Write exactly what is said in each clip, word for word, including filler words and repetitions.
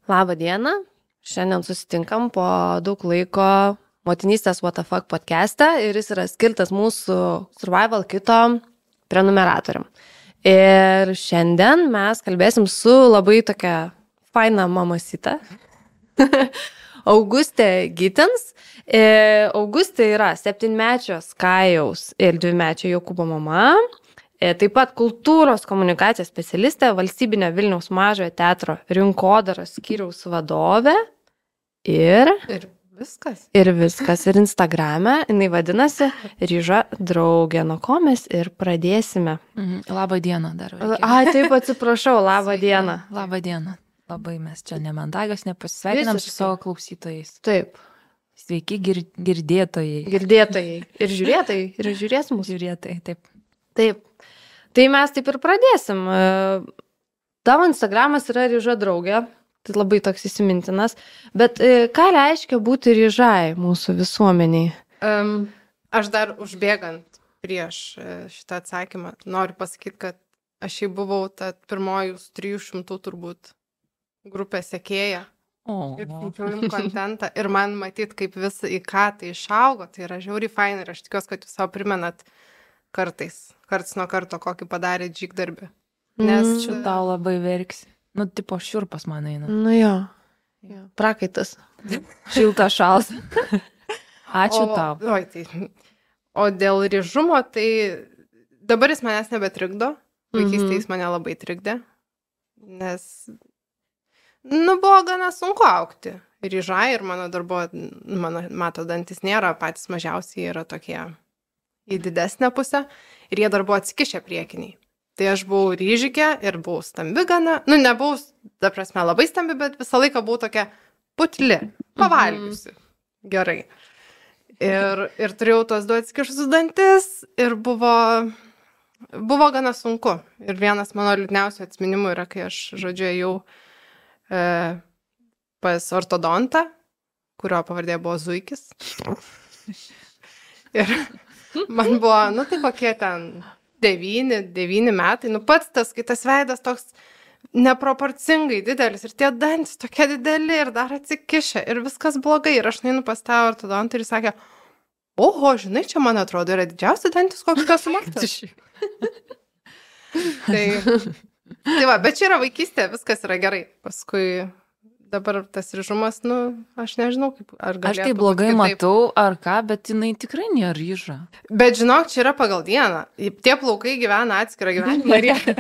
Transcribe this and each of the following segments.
Labą dieną. Šiandien susitinkam po daug laiko motinystės What the Fuck podcast'e ir jis yra skirtas mūsų Survival Kito prenumeratoriam. Ir šiandien mes kalbėsim su labai tokia faina mamasita. Augustė Gitens. Augustė yra septynmečio Skajaus ir dvimečio Jokūbo mama. Taip pat kultūros komunikacijos specialistė, valstybinio Vilniaus mažojo teatro rinkodaros skyriaus vadovė ir... Ir viskas. Ir viskas. Ir Instagrame jinai vadinasi Ryža draugė, nuo ko mes ir pradėsime. Mhm. Labą dieną dar. A, taip atsiprašau, labą dieną. Labą dieną. Labai mes čia nemandagas, nepasisveikinam su savo klausytojais. Taip. Sveiki gir girdėtojai. Girdėtojai. Ir žiūrėtojai. Ir žiūrės mūsų. Žiūrėtojai, taip. Taip. Tai mes taip ir pradėsim. Tavo Instagramas yra Ryža draugė, tai labai toks įsimintinas, bet ką reiškia būti ryžai mūsų visuomeniai? Um, aš dar užbėgant prieš šitą atsakymą noriu pasakyti, kad aš jau buvau ta pirmoji trijų šimtų turbūt grupė sekėja. O. Ir filmuojam kontentą. Ir man matyt, kaip vis į ką tai išaugo, tai yra žiauriai faina ir aš tikiuosi, kad jūs savo primenat kartais, karts nuo karto, kokį padarė džygdarbį. Nes mm. Čia tau labai verksi. Nu, tipo šiurpas man eina. Nu jo, jo. Prakaitas. Šilta šals. Ačiū o, tau. Oi, tai. O dėl ryžumo, tai dabar jis manęs nebetrikdo. Vaikystėje jis mane labai trikdė. Nes, nu, buvo gana sunku augti. Ryžai ir mano darbo, mano, mato, dantis nėra patys mažiausiai, yra tokie į didesnę pusę. Ir jie dar buvo atsikišę priekiniai. Tai aš buvau ryžikė ir buvau stambi gana. Nu, nebuvau, ta prasme, labai stambi, bet visą laiką buvau tokia putli, pavalgiusi. Mhm. Gerai. Ir, ir turėjau tuos du atsikišusius dantis ir buvo, buvo gana sunku. Ir vienas mano liūdniausių atsiminimų yra, kai aš, žodžiu, jau e, pas ortodontą, kurio pavardė buvo Zuikis. Ir man buvo, nu tai kokie ten devyni, devyni metai, nu pats tas, kai tas veidas toks neproporcingai didelis ir tie dantis tokie dideli ir dar atsikišę ir viskas blogai. Ir aš nueinu pas tą ortodontą ir jis sakė, oho, žinai, čia man atrodo yra didžiausi dantis, koks kas matas. tai, tai va, bet čia yra vaikystė, viskas yra gerai. Paskui dabar tas ryžumas, nu, aš nežinau, kaip, ar galėtų. Aš tai blogai matau, ar ką, bet jinai tikrai nėra ryža. Bet žinok, čia yra pagal dieną. Tie plaukai gyvena atskirą gyvenimą ir jie,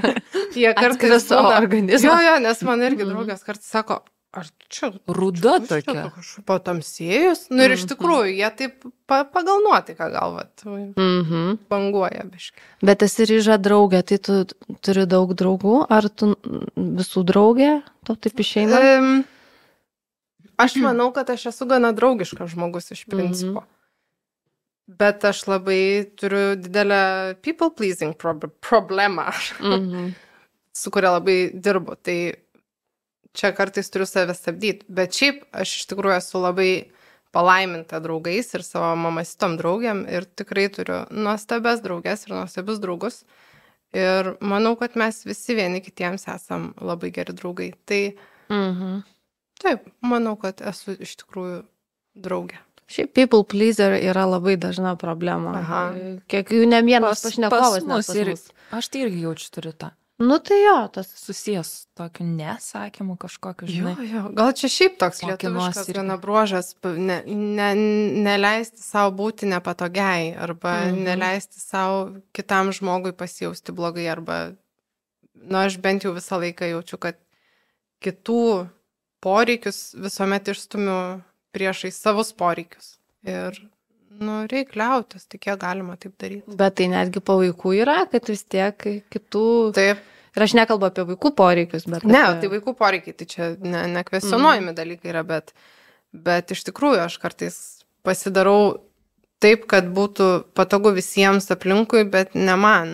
jie kartais savo organizmą. Jo, jo, nes man irgi draugas kartais sako, ar čia ruda tokia. Kažkaip patamsėjus. Nu ir iš tikrųjų, jie taip pa, pagal nuotaiką galvat. Mhm. Banguoja biškai. Bet esi Ryža draugė, tai tu turi daug draugų, ar tu visų draugė? To taip išeina? Um, Aš manau, kad aš esu gana draugiškas žmogus iš principo. Mm-hmm. Bet aš labai turiu didelę people pleasing prob problemą, mm-hmm. su kuria labai dirbu. Tai čia kartais turiu save stabdyti. Bet šiaip aš iš tikrųjų esu labai palaiminta draugais ir savo mamasitom draugiam ir tikrai turiu nuostabias draugės ir nuostabius draugus. Ir manau, kad mes visi vieni kitiems esam labai geri draugai. Tai... Mhm. Taip, manau, kad esu iš tikrųjų draugė. Šiaip people pleaser yra labai dažna problema. Aha. Kiek jų ne vienas pašnekovas. Pas mus ir aš tai irgi jaučiu turiu tą. Nu tai jo, tas susijęs tokiu nesakymu kažkokiu, žinai. Jo, jo. Gal čia šiaip toks lietuviškas gana bruožas, ne, ne, neleisti savo būti nepatogiai, arba mhm. neleisti savo kitam žmogui pasijausti blogai, arba, nu, aš bent jau visą laiką jaučiu, kad kitų poreikius visuomet išstumiu priešai savus poreikius. Ir, nu, reik liautis, tik kiek galima taip daryti. Bet tai netgi po vaikų yra, kad vis tiek kitų... Taip. Ir aš nekalbu apie vaikų poreikius, bet... Ne, apie... tai vaikų poreikiai, tai čia ne, nekvestionuojami mm. dalykai yra, bet, bet iš tikrųjų aš kartais pasidarau taip, kad būtų patogu visiems aplinkui, bet ne man.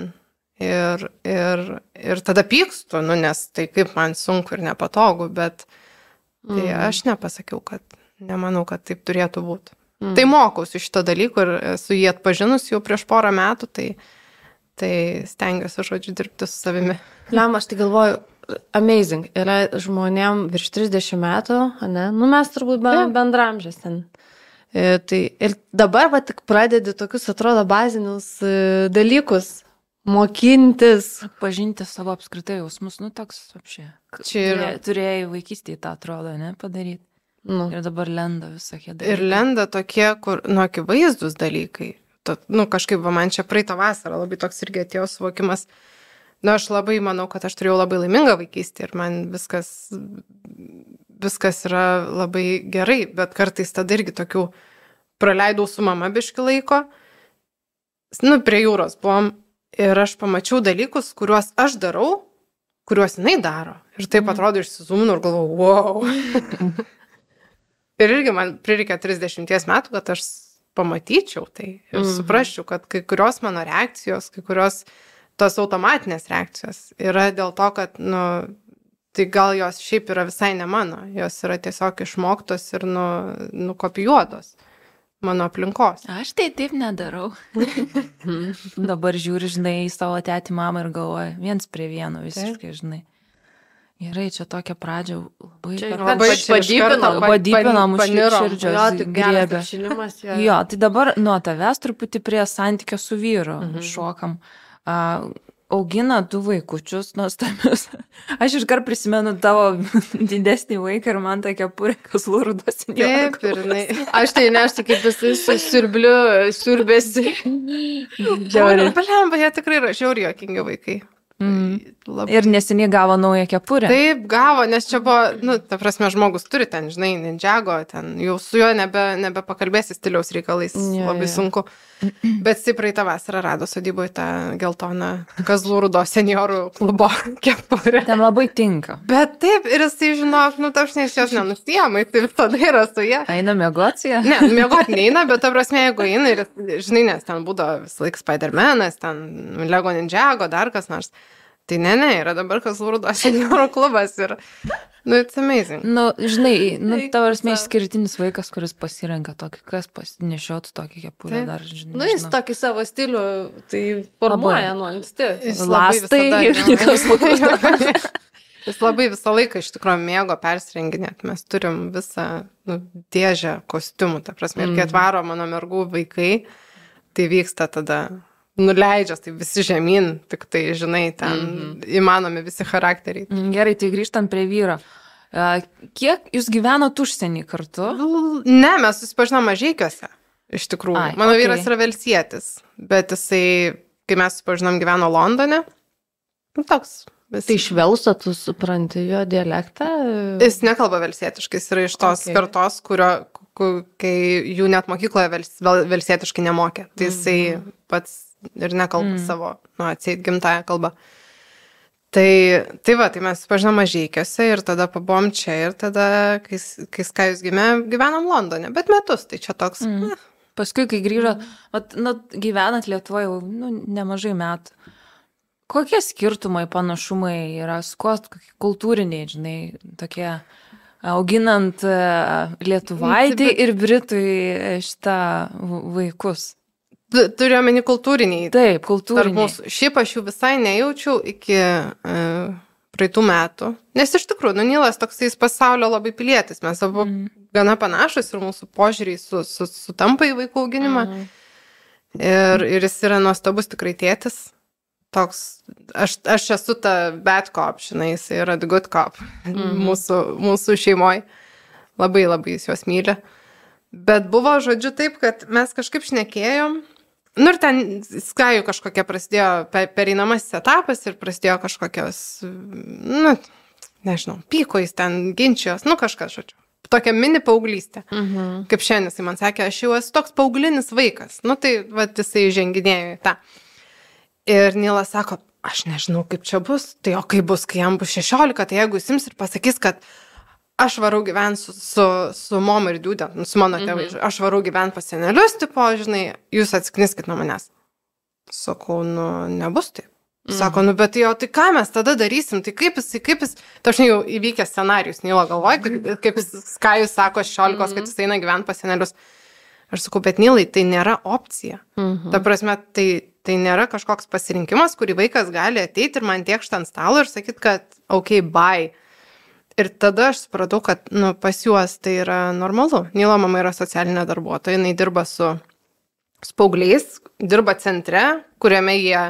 Ir, ir, ir tada pykstu, nu, nes tai kaip man sunku ir nepatogu, bet... Tai mm. aš nepasakiau, kad nemanau, kad taip turėtų būti. Mm. Tai mokausi šito dalyko ir esu jį atpažinus jau prieš porą metų, tai, tai stengiuosi, žodžiu, dirbti su savimi. Lem, aš tai galvoju, amazing. Yra žmonėm virš trisdešimt metų, ne? Nu, mes turbūt bendramžės ten. E, tai ir dabar va tik pradedi tokius, atrodo, bazinius e, dalykus mokintis. Pažinti savo apskritai jausmus, nu toks apšė. Čia ir... Turėjai vaikystėje tą atrodo, ne, padaryti. Nu. Ir dabar lenda visokie dalykai. Ir lenda tokie, kur, nu, akivaizdus dalykai. To, nu, kažkaip, va, man čia praeitą vasarą labai toks irgi atėjo suvokimas. Nu, aš labai manau, kad aš turėjau labai laimingą vaikystę ir man viskas, viskas yra labai gerai, bet kartais tada irgi tokių praleidau su mama biški laiko. Nu, prie jūros buvom ir aš pamačiau dalykus, kuriuos aš darau, kuriuos jinai daro. Ir taip atrodo išsizuminu ir galvoju, wow. Ir irgi man prireikė trisdešimties metų, kad aš pamatyčiau tai ir mm. suprasčiau, kad kai kurios mano reakcijos, kai kurios tos automatinės reakcijos yra dėl to, kad, nu, tai gal jos šiaip yra visai ne mano, jos yra tiesiog išmoktos ir, nu, nukopijuotos mano aplinkos. Aš tai taip nedarau. Dabar žiūri, žinai, į savo tėtį mamą ir galvoju, viens prie vieno visiškai, žinai. Gerai, čia tokia pradžia labai... Čia per- labai padybinam, padybinam už širdžios. Jo, tik geras griebia. apšilimas. Jo. Jo, tai dabar nuo tavęs truputį prie santykio su vyru Mhm. šokam. A, augina du vaikučius nuostabius. Aš iškart prisimenu tavo didesnį vaiką ir man ta kepurė kazlų rudos. Taip, ir jinai. Aš tai neštų kaip jisai su siurbliu, siurbėsi. Žiauriai. Blemba, jie tikrai yra žiauriai juokingi vaikai. Mm. Labai. Ir neseniai gavo naują kepurę. Taip, gavo, nes čia buvo, nu, ta prasme, žmogus turi ten, žinai, Ninjago, ten jau su juo nebe, nebepakalbėsi stiliaus reikalais, Jo, labai jo. sunku. Bet stipriai tą vasarą rado sodyboje tą geltoną kazlų rudos seniorų klubo kepurę. Ten labai tinka. Bet taip, ir jisai, žinok, nu, ta prasme, jis jos nenusiema, tai visada yra su jie. Eina miegocija? Ne, miegoti neina, bet ta prasme, jeigu eina ir, žinai, nes ten būdavo visą laiką Spider-Manas, ten Lego Ninjago, dar kas nors. Tai ne, ne, yra dabar kazlų rudos seniorų klubas ir, nu, it's amazing. Nu, žinai, nu, Eik tavo tu esmė sau. išskirtinis vaikas, kuris pasirenka tokį, kas pasinešiotų tokį kepurę Taip. dar, žinai. Nu, jis nežinau. tokį savo stilių, tai formuoja nuo anksti. Jis labai Lastai visada- ir kazlų rudos. Jis labai visą laiką iš tikrųjų mėgo persirenginėti. Mes turim visą, nu, dėžę kostiumų, ta prasme. Ir kai atvaro mano mergų vaikai, tai vyksta tada nuleidžias, tai visi žemyn, tik tai, žinai, ten mm-hmm. įmanomi visi charakteriai. Mm, Gerai, tai grįžtant prie vyro. A, Kiek jūs gyvenot užsienį kartu? Ne, mes susipažinom Mažeikiuose, iš tikrųjų. Ai, Mano okei. vyras yra velsietis, bet jisai, kai mes susipažinom, gyveno Londone. Nu, toks. Vis... Tai iš Velso tu supranti jo dialektą? Jis nekalba velsietiškai, jis yra iš tos Okay. okay. kartos, kurio, ku, kai jų net mokykloje vels, vel, velsietiškai nemokė. Tai jisai mm. pats ir nekalba mm. savo, nu, atseit gimtąją kalbą. Tai, tai va, tai mes susipažinom Mažeikiuose ir tada pabuvom čia ir tada, kai, kai Skajus gimė, gyvenom Londone. Bet metus, tai čia toks... Mm. Paskui, kai grįžot, vat, nu, gyvenat Lietuvoje jau nu, nemažai metų. Kokie skirtumai, panašumai yra, su kuo kultūriniai, žinai, tokie auginant e, lietuvaitį ir britui e, šitą v- vaikus? Tu- Turiu omeny kultūriniai. Taip, Tarp kultūriniai. mūsų. Šiaip aš jų visai nejaučiau iki uh, praeitų metų. Nes iš tikrųjų, nu, Nilas toksai jis pasaulio labai pilietis. Mes abu mm. gana panašus ir mūsų požiūriai su, su, sutampa į vaikų auginimą. Mhm. Ir, ir jis yra nuostabus tikrai tėtis. Toks, aš, aš esu ta bad cop, žinai, jis yra the good cop Mhm. mūsų, mūsų šeimoje. Labai labai jis juos myli. Bet buvo, žodžiu, taip, kad mes kažkaip šnekėjom. Nu ir ten Skajų kažkokia prasidėjo pe- pereinamasis etapas ir prasidėjo kažkokios, nu, nežinau, pyko jis ten, ginčijos, nu kažkas, žodžiu. Tokia mini paauglystė. Mhm. Kaip šiandien jisai man sakė, aš jau esu toks paauglinis vaikas. Nu tai, va, jisai ženginėjo į tą. Ir Nilas sako, aš nežinau, kaip čia bus. Tai o kaip bus, kai jam bus šešiolika, tai jeigu jis ims ir pasakys, kad aš varau gyventi su, su, su mama ir diudė, nu, su mano tėvai, mm -hmm. aš varau gyventi pas senelius, tipo, žinai, jūs atskniskit nuo manęs. Sakau, nu, nebus taip. Sako, nu, bet jo, tai ką mes tada darysim, tai kaip jis, kaip jis, tai aš jau įvykęs scenarijus, Nilo galvoju, kaip, kaip Skajus sako šešiolikos, kad jis eina gyventi pas senelius. Aš sakau, bet Nilai, tai nėra opcija. Mhm. Ta prasme, tai tai nėra kažkoks pasirinkimas, kurį vaikas gali ateiti ir man tiekšti ant stalo ir sakyti, kad ok, bye. Ir tada aš supratau, kad nu, pas juos tai yra normalu. Nilo mama yra socialinė darbuotoja, jinai dirba su, su paaugliais, dirba centre, kuriame jie,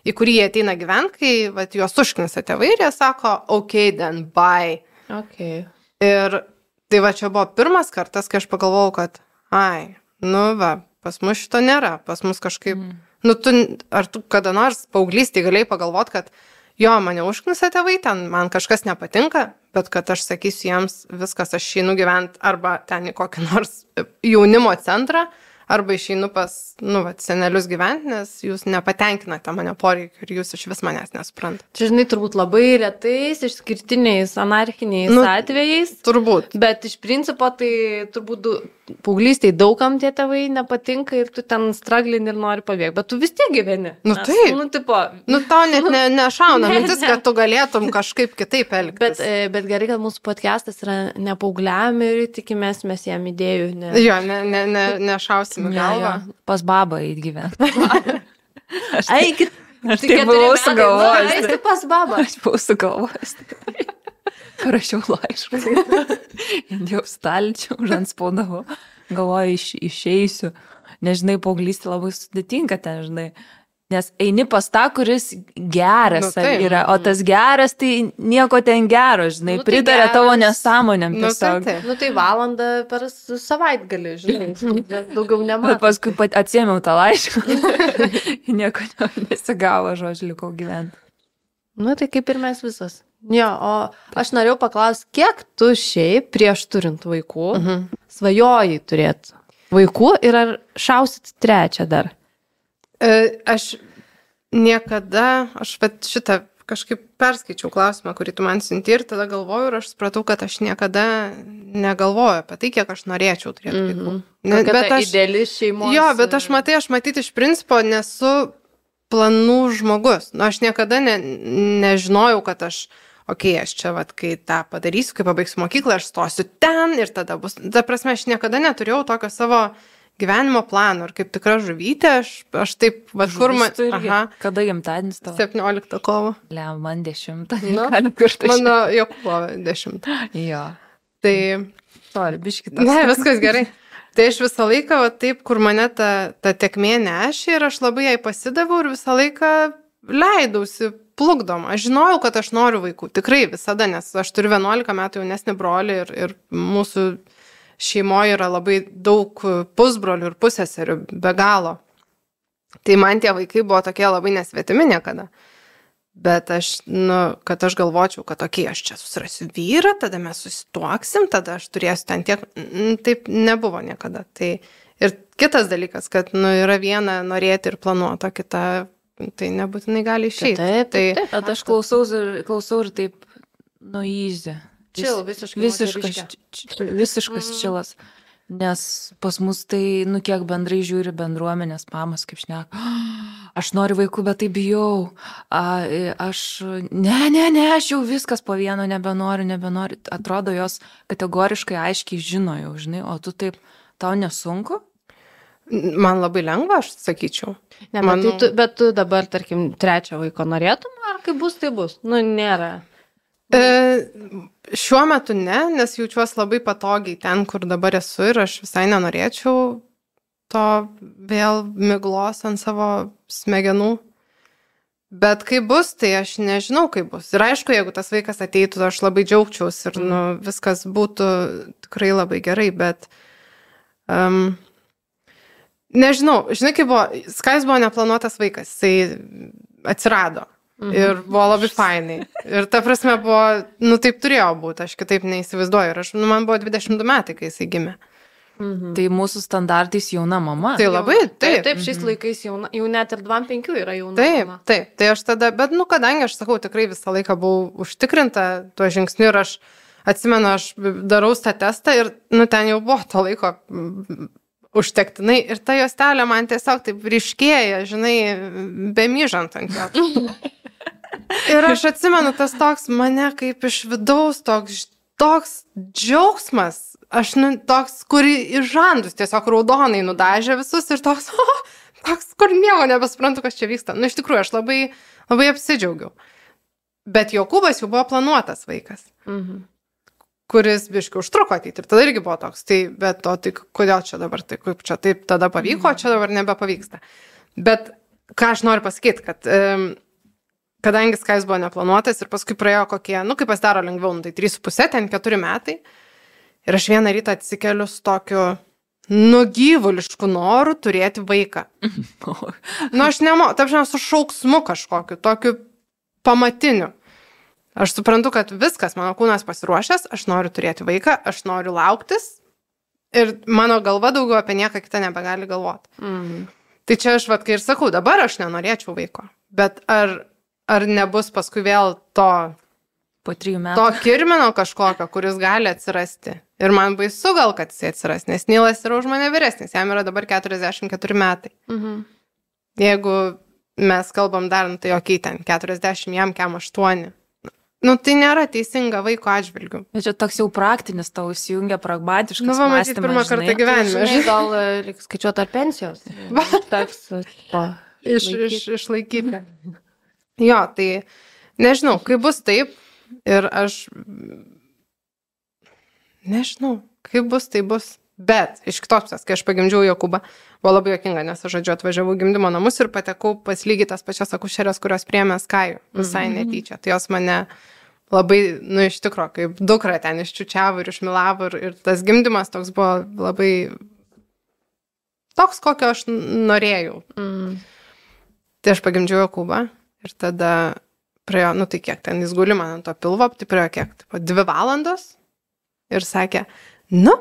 į kurį jie ateina gyventi, kai vat, juos užknisa tėvai ir jie sako, ok, then bye. Okay. Ir tai va čia buvo pirmas kartas, kai aš pagalvojau, kad ai, nu va, pas mus šito nėra, pas mus kažkaip, mm. nu tu, ar tu kada nors paauglystėje galėjai pagalvoti, kad jo, mane užknisa tėvai, ten man kažkas nepatinka, bet kad aš sakysiu jiems, viskas, aš išeinu gyventi arba ten į kokį nors jaunimo centrą, arba išeinu pas, nu, va, senelius gyventi, nes jūs nepatenkinate mane poreikiu ir jūs iš vis manęs nesuprantate. Čia, žinai, turbūt labai retais, išskirtiniais, anarchiniais nu, atvejais. Turbūt. Bet iš principo tai turbūt paauglystėj daugam tie tėvai nepatinka ir tu ten straglini ir nori pabėgti, bet tu vis tiek gyveni. Nu nes, taip. Nu, tipo, nu tau net ne, nešauna ne, mintis, ne. kad tu galėtum kažkaip kitaip elgtis. Bet, bet gerai, kad mūsų podcastas yra ne paaugliam ir tikimės mes jam idėjų. Ne... Jo, ne, ne, ne, nešausim galvą. Ja, pas babą eit gyventi. Aš eikit. Aš tai buvau sugalvojęs. Eikit pas babą. Aš buvau sugalvojęs. Parašiau laišką. Indėjau stalčių, žanspaudavau. Galvoju, iš, išeisiu. Nežinai, paauglystė labai sudėtinga ten, žinai. Nes eini pas tą, kuris geras nu, tai, yra, o tas geras, tai nieko ten gero, žinai, nu, tai pritarė geras. Tavo nesąmonėm tiesiog. Nu tai, nu, tai valandą per savaitgalį, žinai, daugiau nematau. Bet paskui pat atsiėmiau tą laišką. Nieko nesigavo, žodžiu, likau gyventi. Nu, tai kaip ir mes visas. Jo, o aš norėjau paklausti, kiek tu šiaip prieš turint vaikų uh -huh. svajojai turėti vaikų ir ar šausit trečią dar? E, aš niekada, aš bet šitą kažkaip perskaičiau klausimą, kurį tu man siunti ir tada galvoju ir aš supratau, kad aš niekada negalvoju apie tai, kiek aš norėčiau turėti mm -hmm. vaikų. Ne, bet aš, ideali šeimos. Jo, bet aš matai, aš matyti iš principo nesu planų žmogus. Nu, aš niekada ne, nežinojau, kad aš okei, okay, aš čia, vat, kai tą padarysiu, kai pabaigsiu mokyklą, aš stosiu ten ir tada bus. Ta prasme, aš niekada neturėjau tokio savo gyvenimo plano ir kaip tikra žuvytė, aš, aš taip, va, kur man... Aha. Kada gimtadienis tavo? septynioliktą kovo. Le, man dešimtą. Nu, mano Jokūbo dešimtą. Jo. Tai... Sorry, biškitas. Ne, viskas gerai. Tai aš visą laiką, va, taip, kur mane ta, ta tekmė nešė ir aš labai jai pasidaviau ir visą laiką leidausi plukdom. Aš žinojau, kad aš noriu vaikų. Tikrai visada, nes aš turiu vienuolika metų jaunesnį brolį ir, ir mūsų šeimoje yra labai daug pusbrolių ir pusseserių, be galo. Tai man tie vaikai buvo tokie labai nesvetimi niekada. Bet aš, nu, kad aš galvočiau, kad okei, okay, aš čia susirasiu vyrą, tada mes susituoksim, tada aš turėsiu ten tiek, taip nebuvo niekada. Tai ir kitas dalykas, kad, nu, yra viena norėti ir planuoti, o kita, tai nebūtinai gali išeiti. Taip, taip, taip. Tai aš klausau ir, klausau ir taip, nu, easy. Chill, visiškai visiškas, visiškas mm. čilas. Nes pas mus tai, nu, kiek bendrai žiūri bendruomenės mamas, kaip šneka, aš noriu vaikų, bet tai bijau. A, aš, ne, ne, ne, aš jau viskas po vieno nebenoriu, nebenoriu. Atrodo, jos kategoriškai aiškiai žino jau, žinai, o tu taip, tau nesunku? Man labai lengva, aš sakyčiau. Ne, bet, Manau... tu, bet tu dabar, tarkim, trečią vaiko norėtum, ar kaip bus, tai bus? Nu, nėra. E, šiuo metu ne, nes jaučiuosi labai patogiai ten, kur dabar esu ir aš visai nenorėčiau to vėl miglos ant savo smegenų. Bet kaip bus, tai aš nežinau, kaip bus. Ir aišku, jeigu tas vaikas ateitų, aš labai džiaugčiaus ir nu, viskas būtų tikrai labai gerai, bet um, nežinau, žinai, kaip buvo, Skais buvo neplanuotas vaikas, jisai atsirado. Mhm. Ir buvo labai fainai. Ir ta prasme buvo, nu taip turėjo būti, aš kitaip neįsivaizduoju. Ir aš, nu, man buvo dvidešimt du metai, kai jisai gimė. Mhm. Tai mūsų standartais jauna mama. Tai labai, taip. Taip, taip šiais mhm. laikais jauna, jau net ir dvidešimt penki yra jauna taip, mama. Taip, tai aš tada, bet, nu, kadangi aš sakau, tikrai visą laiką buvau užtikrinta tuo žingsniu ir aš atsimenu, aš darau tą testą ir, nu, ten jau buvo to laiko užtektinai ir ta juostelė man tiesiog taip ryškėja, žinai, bemyžant ant jo. Ir aš atsimenu, tas toks mane kaip iš vidaus, toks, toks džiaugsmas, aš, nu, toks, kurį iš žandus tiesiog raudonai nudažė visus ir toks, oh, toks, kur nieko nebesprantu, kas čia vyksta. Nu, iš tikrųjų, aš labai, labai apsidžiaugiau. Bet Jokūbas jau buvo planuotas vaikas, Mhm. kuris biškiai užtruko ateiti. Ir tada irgi buvo toks. Tai, bet o tai kodėl čia dabar, tai kaip čia taip tada pavyko, čia dabar nebepavyksta. Bet ką aš noriu pasakyti, kad um, kadangi Skajus buvo neplanuotas ir paskui praėjo kokie, nu, kaip pasidaro lengviau, nu, tai trys su pusė, ten keturi metai. Ir aš vieną rytą atsikeliu su tokiu nugyvulišku noru turėti vaiką. Nu, aš nemoku, taip žinau, su šauksmu kažkokiu, tokiu pamatiniu. Aš suprantu, kad viskas, mano kūnas pasiruošęs, aš noriu turėti vaiką, aš noriu lauktis ir mano galva daugiau apie nieką kitą nebegali galvoti. Mhm. Tai čia aš, vat, kai ir sakau, dabar aš nenorėčiau vaiko, bet ar, ar nebus paskui vėl to, Po trijų metų. to kirmino kažkokio, kuris gali atsirasti. Ir man baisu gal, kad jis atsiras, nes Nilas yra už mane vyresnis, jam yra dabar keturiasdešimt keturi metai. Mhm. Jeigu mes kalbam dar, nu, tai okei, ten keturiasdešimt, jam kem aštuoni. Nu, tai nėra teisinga vaiko atžvilgių. Bet čia toks jau praktinis, tau įsijungia pragmatiškas Nu, va, matyt, mąstymas, pirmą kartą žinai. gyvenime. Žinai, gal e, reikia skaičiuoti ar pensijos. Teks po. Iš, iš, išlaikyti. Jo, tai nežinau, kaip bus taip ir aš nežinau, kaip bus, tai bus. Bet iš kitos pusės, kai aš pagimdžiau Jokūbą, buvo labai juokinga, nes aš, žodžiu, atvažiavau gimdymo namus ir patekau pas lygiai tas pačias akušerės, kurios priėmė Skajų, visai netyčia. Tai jos mane labai, nu, iš tikro, kaip dukra ten iščiučiavo ir išmilavo ir, ir tas gimdymas toks buvo labai toks, kokio aš norėjau. Mhm. Tai aš pagimdžiau Jokūbą ir tada praėjo, nu tai kiek ten jis guli man ant to pilvo, tai praėjo kiek, tai dvi valandos ir sakė, nu,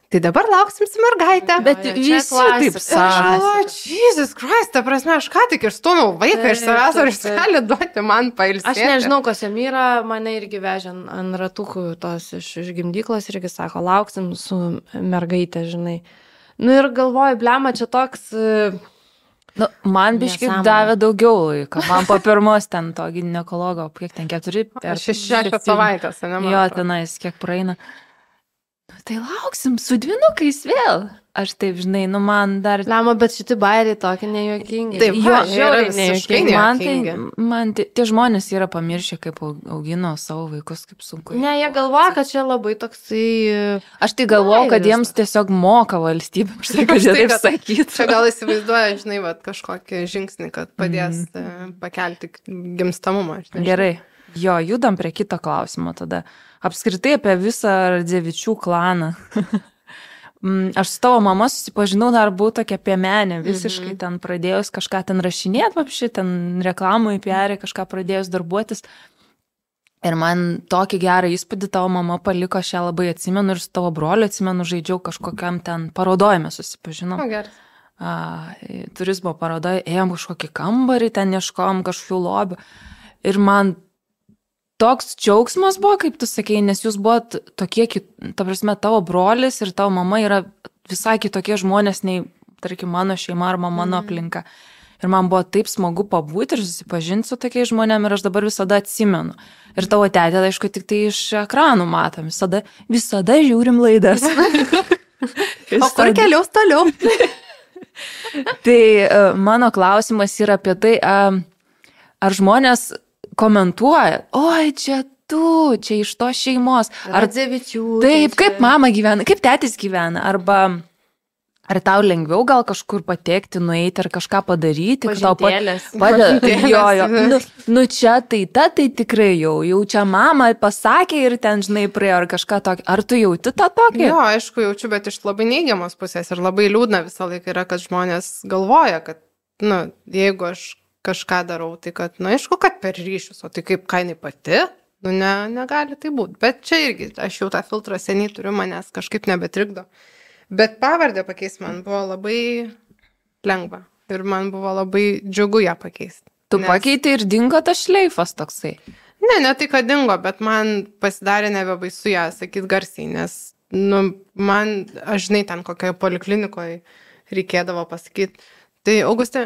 tai dabar lauksim su mergaitę. Bet Jo, jo, visi čia taip klasika. sako. Aš galvoju, Jesus Christ, ta prasme, aš ką tik išstūmiau vaiką iš Taip, savęs, ar taip, jis taip. gali duoti man pailsėti. Aš nežinau, kas jam yra, mane irgi vežė ant- ant ratukų tos iš, iš gimdyklos irgi sako, lauksim su mergaitė, žinai. Nu ir galvoju, blema, čia toks... e, Nu, man biškai Nesąmonė. davė daugiau laiko. Man po pirmos ten to ginekologo, kiek ten keturi. ar Šešias septyni. savaitės, ne man Jo, atrodo. tenais kiek praeina. Nu, tai lauksim su dvinukais vėl. Aš taip, žinai, nu man dar... Blema, bet šitie bairiai tokie nejuokingi. Taip, Jo, va, jie yra žiauriai visiškai nejuokingi. Man, tai, nejuokingi. man tie, tie žmonės yra pamiršę, kaip au- augino savo vaikus, kaip sunku. Ne, jie galvoja, kad čia labai toksai... e, Aš tai galvoju, kad Bairis jiems tiesiog moka valstybė, už tai, kad Už jie tai, taip kad- sakytų. Čia gal įsivaizduoja, žinai, va, kažkokį žingsnį, kad padės mm. pakelti gimstamumą. aš nežinau. Gerai. Jo, judam prie kito klausimo tada. Apskritai apie visą Radzevičių klaną. Mm, Aš su tavo mama susipažinau, dar buvau tokia piemenė, visiškai Mhm. ten pradėjus kažką ten rašinėti, papšį, ten reklamų į P R, kažką pradėjus darbuotis. Ir man tokį gerą įspūdį tavo mama paliko, aš ją labai atsimenu ir su tavo broliu atsimenu, žaidžiau kažkokiam ten parodojime susipažinom. O, gerai. A, turizmo parodoje ėjom kažkokį kambarį, ten ieškom kažkokių lobių. Ir man toks džiaugsmas buvo, kaip tu sakei, nes jūs buvot tokie, kit- ta prasme, tavo brolis ir tavo mama yra visai kitokie žmonės nei, tarkim, mano šeima arba mano aplinka. Ir man buvo taip smagu pabūti ir susipažinti su tokiais žmonėmis ir aš dabar visada atsimenu. Ir tavo tetė, aišku, tik tai iš ekranų matom, visada, visada žiūrim laidas. O kur keliaus toliau? Tai e, mano klausimas yra apie tai, a, ar žmonės komentuoja, oi, čia tu, čia iš to šeimos. Ar Radzevičių. taip, čia- kaip mama gyvena, kaip tėtis gyvena, arba ar tau lengviau gal kažkur patekti, nueiti ar kažką padaryti, kad tau pa- Pažintėlės. padeda. Pažintėlės. Jo, jo. Nu, nu čia tai ta, tai tikrai jau, jau čia mama pasakė ir ten, žinai, praėjo ar kažką tokio. Ar tu jauti tą tokį? Jo, aišku, jaučiu, bet iš labai neigiamos pusės ir labai liūdna visą laiką yra, kad žmonės galvoja, kad, nu, jeigu aš kažką darau, tai kad, nu, aišku, kad per ryšius, o tai kaip kainai pati, nu, ne, negali tai būti. Bet čia irgi, aš jau tą filtrą seniai turiu, manęs kažkaip nebetrikdo. Bet pavardę pakeisti man buvo labai lengva ir man buvo labai džiugu ją pakeisti. Tu Nes- pakeitei ir dingo tas šleifas toksai. Ne, ne tai, kad dingo, bet man pasidarė nebebaisu ją sakyti garsiai, nes, nu, man, aš žinai, ten kokioje poliklinikoje reikėdavo pasakyti. Tai Augustė,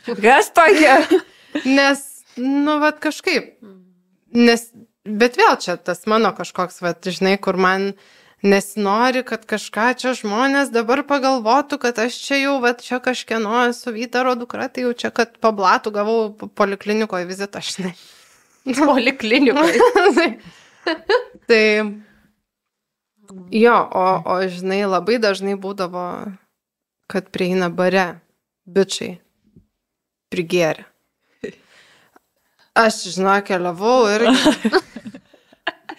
Kas tokia? nes, nu, vat kažkaip, nes, bet vėl čia tas mano kažkoks, vat, žinai, kur man nesinori, kad kažką čia žmonės dabar pagalvotų, kad aš čia jau, va, čia kažkieno esu Vytaro dukra, tai jau čia, kad pablatų gavau poliklinikoje vizitą, aš ne. Poliklinikoje. Tai, jo, o, o žinai, labai dažnai būdavo, kad prieina bare bičiai prigėrė. Aš, žinau, keliavau ir...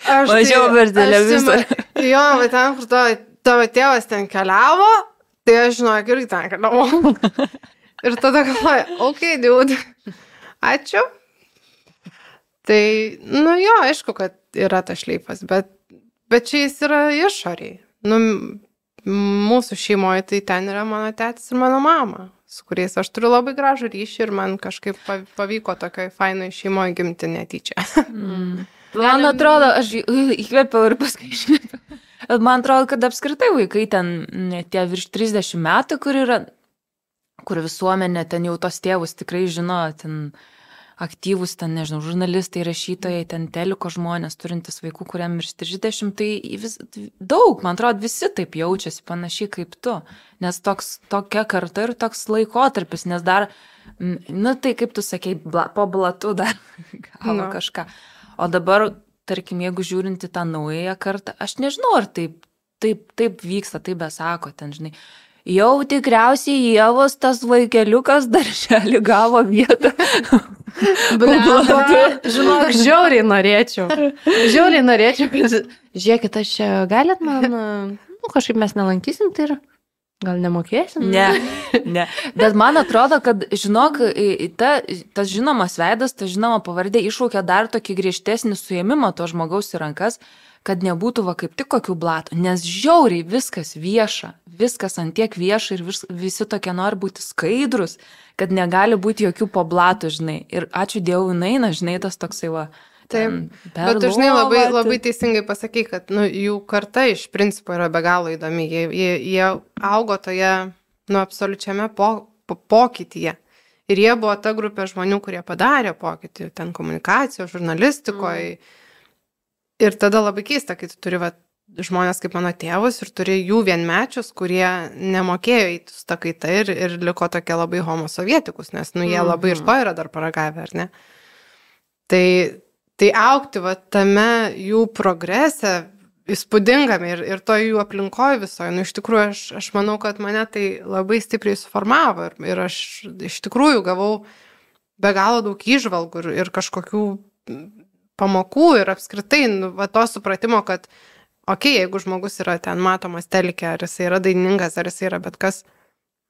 Važiavau per televizorių. Jo, bet ten, kur tavo, tavo tėvas ten keliavo, tai aš, žinau, irgi ten keliavau. Ir tada galvoju, okei, okay, dude, ačiū. Tai, nu jo, aišku, kad yra tas šleifas, bet, bet čia jis yra išoriai. Nu, mūsų šeimoje tai ten yra mano tėtis ir mano mama, su kuriais aš turiu labai gražų ryšį ir man kažkaip pavyko tokioj fainoj šeimoje gimti netyčia. Mm. Man atrodo, aš įkvėpiau ir paskui iškvėpiau. Man atrodo, kad apskritai vaikai ten tie virš trisdešimt metų, kur yra, kur visuomenė ten jau tos tėvus tikrai žino, ten aktyvus, ten, nežinau, žurnalistai, rašytojai, ten teliko žmonės, turintis vaikų, kuriam virš trisdešimt, tai vis, daug, man atrodo, visi taip jaučiasi panašiai kaip tu. Nes toks, tokia karta ir toks laikotarpis, nes dar, nu tai kaip tu sakei, bla, po blatų dar gavo no. kažką. O dabar, tarkim, jeigu žiūrinti tą naująją kartą, aš nežinau, ar taip, taip, taip vyksta, taip besako, ten, žinai, jau tikriausiai Ievos tas vaikeliukas darželį gavo vietą. Žinok, žiauriai norėčiau. Žiauriai norėčiau, kad, žiūrėkit, aš čia galit man, nu, kažkaip mes nelankysim, tai ir gal nemokėsim? Ne, ne. Bet man atrodo, kad, žinok, ta, tas žinomas veidas, ta žinoma pavardė iššaukia dar tokį griežtesnį suėmimą to žmogaus į rankas, kad nebūtų va kaip tik kokių blatų, nes žiauriai viskas vieša, viskas antiek vieša ir vis, visi tokie nori būti skaidrus, kad negali būti jokių po blatų, žinai. Ir ačiū Dievui, naina, žinai, tas toksai va. Taip, bet tu, žinai, labai, labai teisingai pasakai, kad nu, jų karta iš principo yra be galo įdomi. Jie, jie, jie augo toje, nu, absoliučiame po, po, pokytyje. Ir jie buvo ta grupė žmonių, kurie padarė pokytį, ten komunikacijos, žurnalistikoje. Mm. Ir tada labai keista, kai tu turi va, žmonės kaip mano tėvus ir turi jų vienmečius, kurie nemokėjo įti su ta kaita ir, ir liko tokie labai homosovietikus, nes nu, jie mm-hmm. labai ir to yra dar paragavę, ar ne? Tai... Tai aukti va, tame jų progrese, įspūdingame ir, ir to jų aplinkoje visoje, nu iš tikrųjų aš, aš manau, kad mane tai labai stipriai suformavo ir, ir aš iš tikrųjų gavau be galo daug įžvalgų ir, ir kažkokių pamokų ir apskritai nu, va, to supratimo, kad okei, okay, jeigu žmogus yra ten matomas telike, ar jis yra dainingas, ar jis yra bet kas,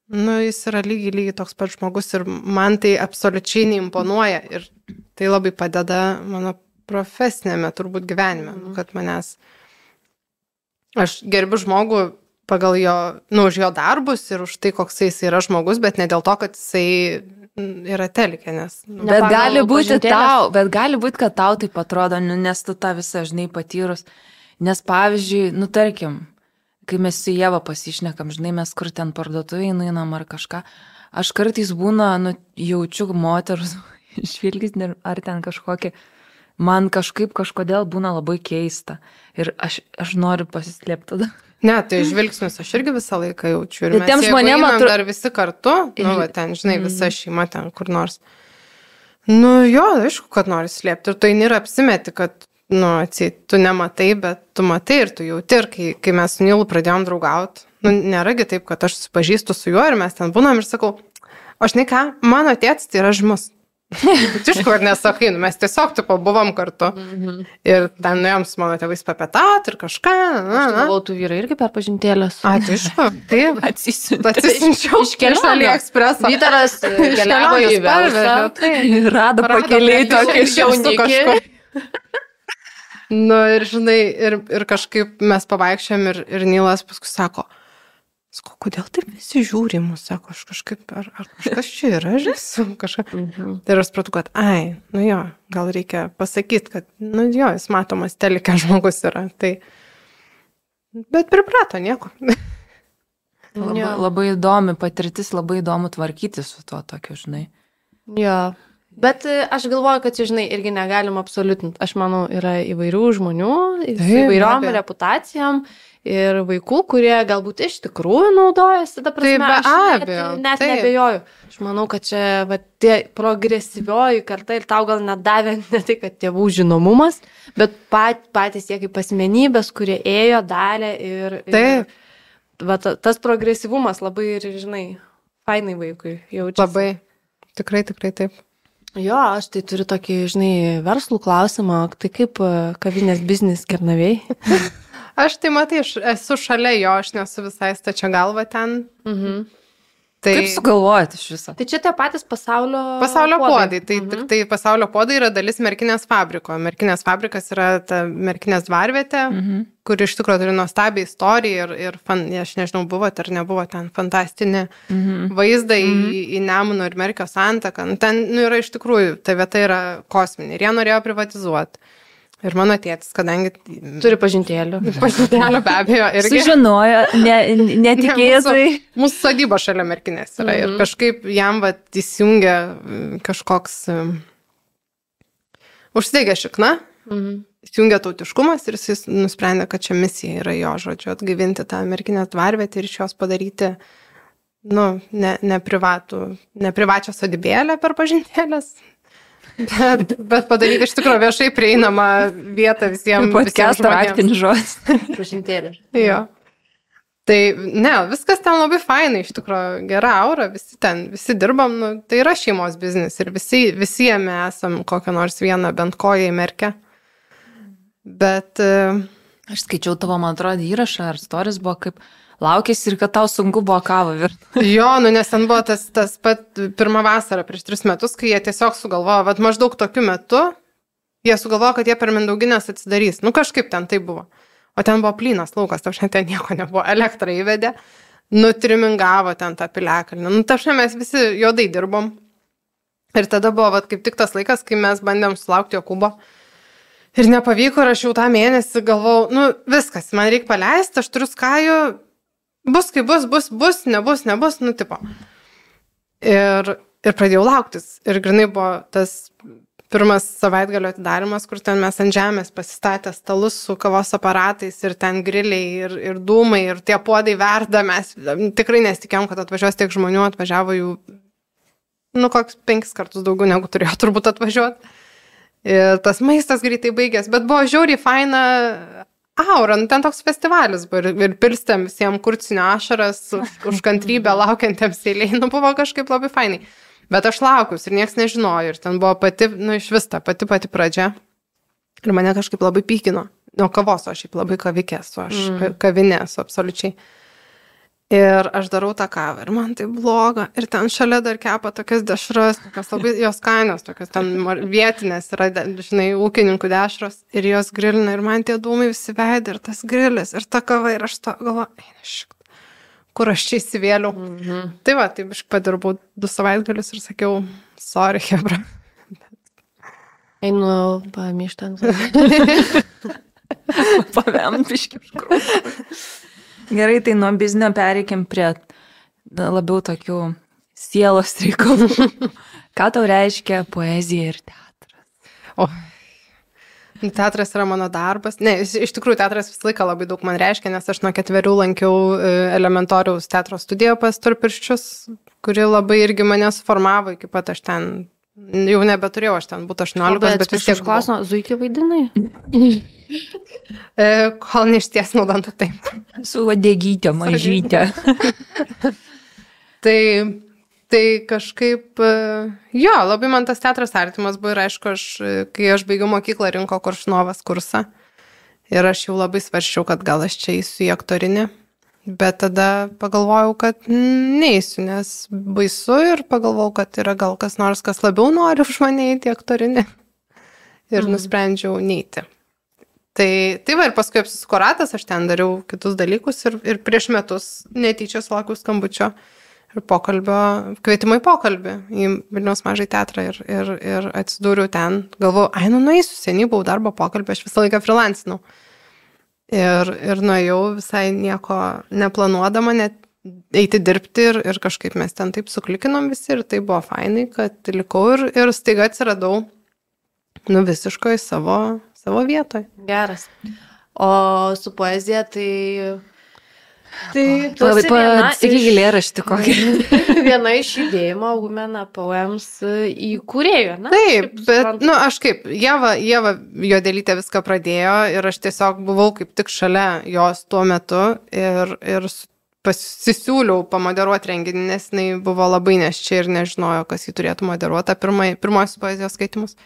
nu jis yra lygiai, lygiai toks pat žmogus ir man tai absoliučiai neimponuoja ir tai labai padeda mano profesinėme turbūt gyvenime, mm. kad manęs, aš gerbiu žmogų pagal jo, nu, už jo darbus ir už tai, koks jis yra žmogus, bet ne dėl to, kad jisai yra telike, nes... Nu, bet gali būti tau, bet gali būti, kad tau taip atrodo, nu, nes tu tą visą, žinai, patyrus, nes pavyzdžiui, nu, tarkim, kai mes su Ieva pasišnekam, žinai, mes kur ten parduotuvėje nueinam ar kažką, aš kartais būna, nu, jaučiu moterus žvilgsnį ar ten kažkokį, man kažkaip kažkodėl būna labai keista ir aš, aš noriu pasislėpti tada. Ne, tai žvilgsnius aš irgi visą laiką jaučiu ir mes jeigu einam atru... dar visi kartu, nu, va, ten, žinai, visa šeima ten kur nors. Nu, jo, aišku, kad nori slėpti ir tu eini ir apsimeti, kad nu, atsiet, tu nematai, bet tu matai ir tu jauti. Ir kai, kai mes su Nilu pradėjom draugauti, nu, nėragi taip, kad aš susipažįstu su juo ir mes ten būnam ir sakau, o žinai ką, mano tėtis tai yra žymus. Tišku, ar nesakai, nu, mes tiesiog tipo buvom kartu. Mm-hmm. Ir ten nuėjom su mano tėvais papietauti ir kažką. Na, aš galvau, tu vyrai irgi per pažintėlės. A, tai aišku, taip. Atsisinčiau. Iš AliExpresso. Vytaras keliavo į Velsą. Rado pakeliai tokį jaunikį. Nu ir žinai, ir, ir kažkaip mes pavaikščiam ir, ir Nilas paskui sako, sako, kodėl taip visi žiūri mus, sako, aš kažkaip, ar, ar kažkas čia yra, žinai, kažką. Mhm. Ir aš supratau, kad, ai, nu jo, gal reikia pasakyti, kad, nu jo, jis matomas telike žmogus yra, tai, bet priprato nieko. Labai, labai įdomi patirtis, labai įdomu tvarkyti su tuo tokiu, žinai. Jo, Bet e, aš galvoju, kad, čia, žinai, irgi negalim absoliutinti. Aš manau, yra įvairių žmonių, su Taip, įvairiom be abejo. reputacijom ir vaikų, kurie galbūt iš tikrųjų naudojasi, ta prasme, be aš net, abejo, net taip. nebejoju. Aš manau, kad čia va, tie progresyvioji karta ir tau gal net davė ne tai, kad tėvų žinomumas, bet pat, patys jie kaip asmenybės, kurie ėjo, darė ir... ir Taip. va, ta- tas progresyvumas labai ir, žinai, fainai vaikui jaučiasi. Labai. Tikrai, tikrai taip. Jo, aš tai turiu tokį, žinai, verslų klausimą, tai kaip e, kavinės biznis Kernavėj? Aš tai matai, aš esu šalia jo, aš nesu visai stačia galva ten. Mhm. Tai Kaip sugalvojat iš viso? Tai čia tie patys pasaulio... pasaulio podai. Tai Mhm. tik tai pasaulio podai yra dalis merkinės fabriko. Merkinės fabrikas yra ta merkinės dvarvietė, Mhm. kur iš tikrųjų turi nuostabią istoriją ir, ir fan, aš nežinau, buvo ar nebuvo ten fantastinį Mhm. vaizdą į, į Nemuno ir Merkio santaką. Nu, ten nu, yra iš tikrųjų, ta vieta yra kosminė ir jie norėjo privatizuoti. Ir mano tėtis, kadangi... Turi pažintėlių. Pažintėlio be abejo irgi. Sužinojo, ne, netikėtai. Mūsų, mūsų sodyba šalia merkinės yra. Mhm. Ir kažkaip jam va įsijungia mm, kažkoks... mm, Užsidegė šikna, Mhm. įsijungia tautiškumas ir jis nusprendė, kad čia misija yra jo žodžiu atgaivinti tą merkinės dvarvietę ir iš jos padaryti, nu, ne, ne, privatų, ne privačią sodybėlę per pažintėlės. Bet, bet padaryti iš tikrųjų viešai prieinamą vietą visiems. Podcast'o raktinis žodis. Pažintėlių. Jo. Tai ne, viskas ten labai fainai, iš tikrųjų, gera aura, visi ten, visi dirbam, nu, tai yra šeimos biznis ir visi, visi jame esam kokią nors vieną bent koją įmerkę. Bet uh, Aš skaičiau tavo, man atrodo, įrašą ar stories buvo kaip laukėsi ir kad tau sunku buvo kavą virti. jo, nu nes ten buvo tas, tas pat pirmą vasarą prieš tris metus, kai jie tiesiog sugalvojo, bet maždaug tokiu metu jie sugalvojo, kad jie per Mindauginės atsidarys. Nu kažkaip ten tai buvo. O ten buvo plynas laukas, tau šiandien ten nieko nebuvo, elektrą įvedė, nutrimingavo ten tą piliakalnį. Nu, ta šiandien mes visi juodai dirbom. Ir tada buvo vat, kaip tik tas laikas, kai mes bandėm sulaukti Jokūbo. Ir nepavyko, ir aš jau tą mėnesį galvau, nu viskas, man reikia paleisti, aš turiu skajų, bus kaip bus, bus, bus, nebus, nebus, nu tipo. Ir, ir pradėjau lauktis. Ir grinai buvo tas pirmas savaitgalio atidarimas, kur ten mes ant žemės pasistatę stalus su kavos aparatais ir ten griliai ir, ir dūmai ir tie puodai verda. Mes tikrai nesitikėjom, kad atvažiuos tiek žmonių, atvažiavo jų, nu, koks penkis kartus daugiau negu turėjo turbūt atvažiuoti. Ir tas maistas greitai baigės, bet buvo žiauriai faina aura, nu, ten toks festivalis buvo ir, ir pilstėm visiems kurcinio ašaras už, už kantrybę laukiantiems eiliai, nu, buvo kažkaip labai fainai. Bet aš laukius ir nieks nežinojo ir ten buvo pati, nu, iš vis ta pati pati pradžia ir mane kažkaip labai pykino. Nuo kavos, aš šiaip labai kavikė esu, aš mm. kavinė esu absoliučiai. Ir aš darau tą kavą ir man tai bloga. Ir ten šalia dar kepa tokias dešras, tokias labai jos kainos, tokias ten vietinės yra, žinai, ūkininkų dešros. Ir jos grilina ir man tie dūmai visi veidė ir tas grilis ir ta kava ir aš to galvoju, eina šik, kur aš čia įsivėliau. Mhm. Tai va, taip aš padirbau du savaitgalius ir sakiau, sorry, hebra. Einu pamištant. Pavemt biški. Gerai, tai nuo biznio pereikim prie na, labiau tokių sielos reikalų. Ką tau reiškia poezija ir teatras? O, teatras yra mano darbas. Ne, iš, iš tikrųjų teatras visą laiką labai daug man reiškia, nes aš nuo ketverių lankiau elementoriaus teatro studiją pas Storpirščius, kuri labai irgi mane suformavo, iki pat aš ten jau nebeturėjau, aš ten būtų aštuoniolikos, bet, bet vis tiek klausimą, zuikį vaidinai? E, kol neištiesnau dantų taip. Su vadegytė, mažytė. tai, tai kažkaip, jo, labai man tas teatras artimas buvo ir aišku, aš, kai aš baigiau mokyklą, rinko Koršunovas kursą ir aš jau labai svarščiau, kad gal aš čia eisiu į aktorinį, bet tada pagalvojau, kad neįsiu, nes baisu ir pagalvojau, kad yra gal kas nors, kas labiau nori už mane eiti į aktorinį ir mm. nusprendžiau neiti. Tai, tai va ir paskui apsisuko ratas, aš ten dariau kitus dalykus ir, ir prieš metus netyčia sulaukiau skambučio ir pokalbio, kvietimo į pokalbį į Vilniaus mažai teatrą ir, ir, ir atsidūriau ten. Galvojau, ai, nu nueisiu, seniai buvau darbo pokalbį, aš visą laiką freelancinau. Ir, ir nuėjau visai nieko neplanuodama, net eiti dirbti ir, ir kažkaip mes ten taip suklikinom visi ir tai buvo fainai, kad likau ir, ir staiga atsiradau, nu, visiškai savo, savo vietoje. Geras. O su poezija tai... Tai tu Labai esi viena Sakyk iš- eilėraštį kokį. viena iš judėjimo Women Poems įkūrėjų, ne? Taip, Kaip bet, suprantu. nu, aš kaip, Ieva, Ieva Juodelytė viską pradėjo ir aš tiesiog buvau kaip tik šalia jos tuo metu ir, ir s- pasisiūliau pamoderuoti renginį, nes jinai buvo labai neščia ir nežinojo, kas jį turėtų moderuoti, pirmai, pirmosius poezijos skaitimus.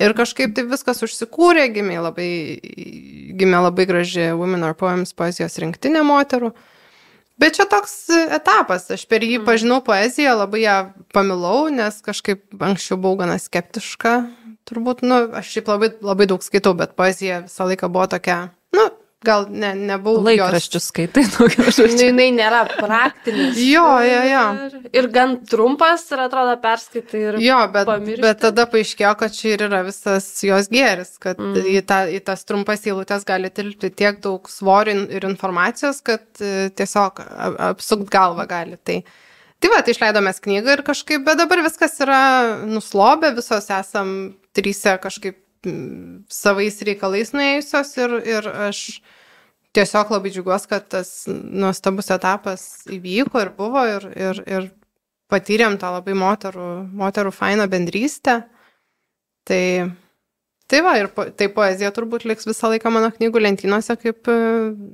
Ir kažkaip taip viskas užsikūrė, gimė labai, gimė labai graži Women Are Poems poezijos rinktinė moterų. Bet čia toks etapas, aš per jį pažinau poeziją, labai ją pamilau, nes kažkaip anksčiau buvau gana skeptiška. Turbūt, nu, aš šiaip labai, labai daug skaitau, bet poezija visą laiką buvo tokia, nu, gal ne, nebuvau Laikraščius skaitai daugiau Nu, žodžių. jinai nėra praktinis. Jo, jo, jo. Ir gan trumpas ir atrodo perskaitai ir... Jo, bet, pamiršti. bet tada paaiškėjo, kad čia ir yra visas jos gėris, kad Mm. mm. į, ta, į tas trumpas eilutes gali tilpti tiek daug svorio in- ir informacijos, kad e, tiesiog a- apsukt galvą gali. Tai, tai va, tai išleidomės knygą ir kažkaip, bet dabar viskas yra nuslobę, visos esam trysia kažkaip mm, savais reikalais nuėjusios ir, ir aš tiesiog labai džiugiuosi, kad tas nuostabus etapas įvyko ir buvo ir, ir, ir patyrėm tą labai moterų, moterų fainą bendrystę. Tai, tai va, ir po, tai poezija turbūt liks visą laiką mano knygų lentynose kaip e,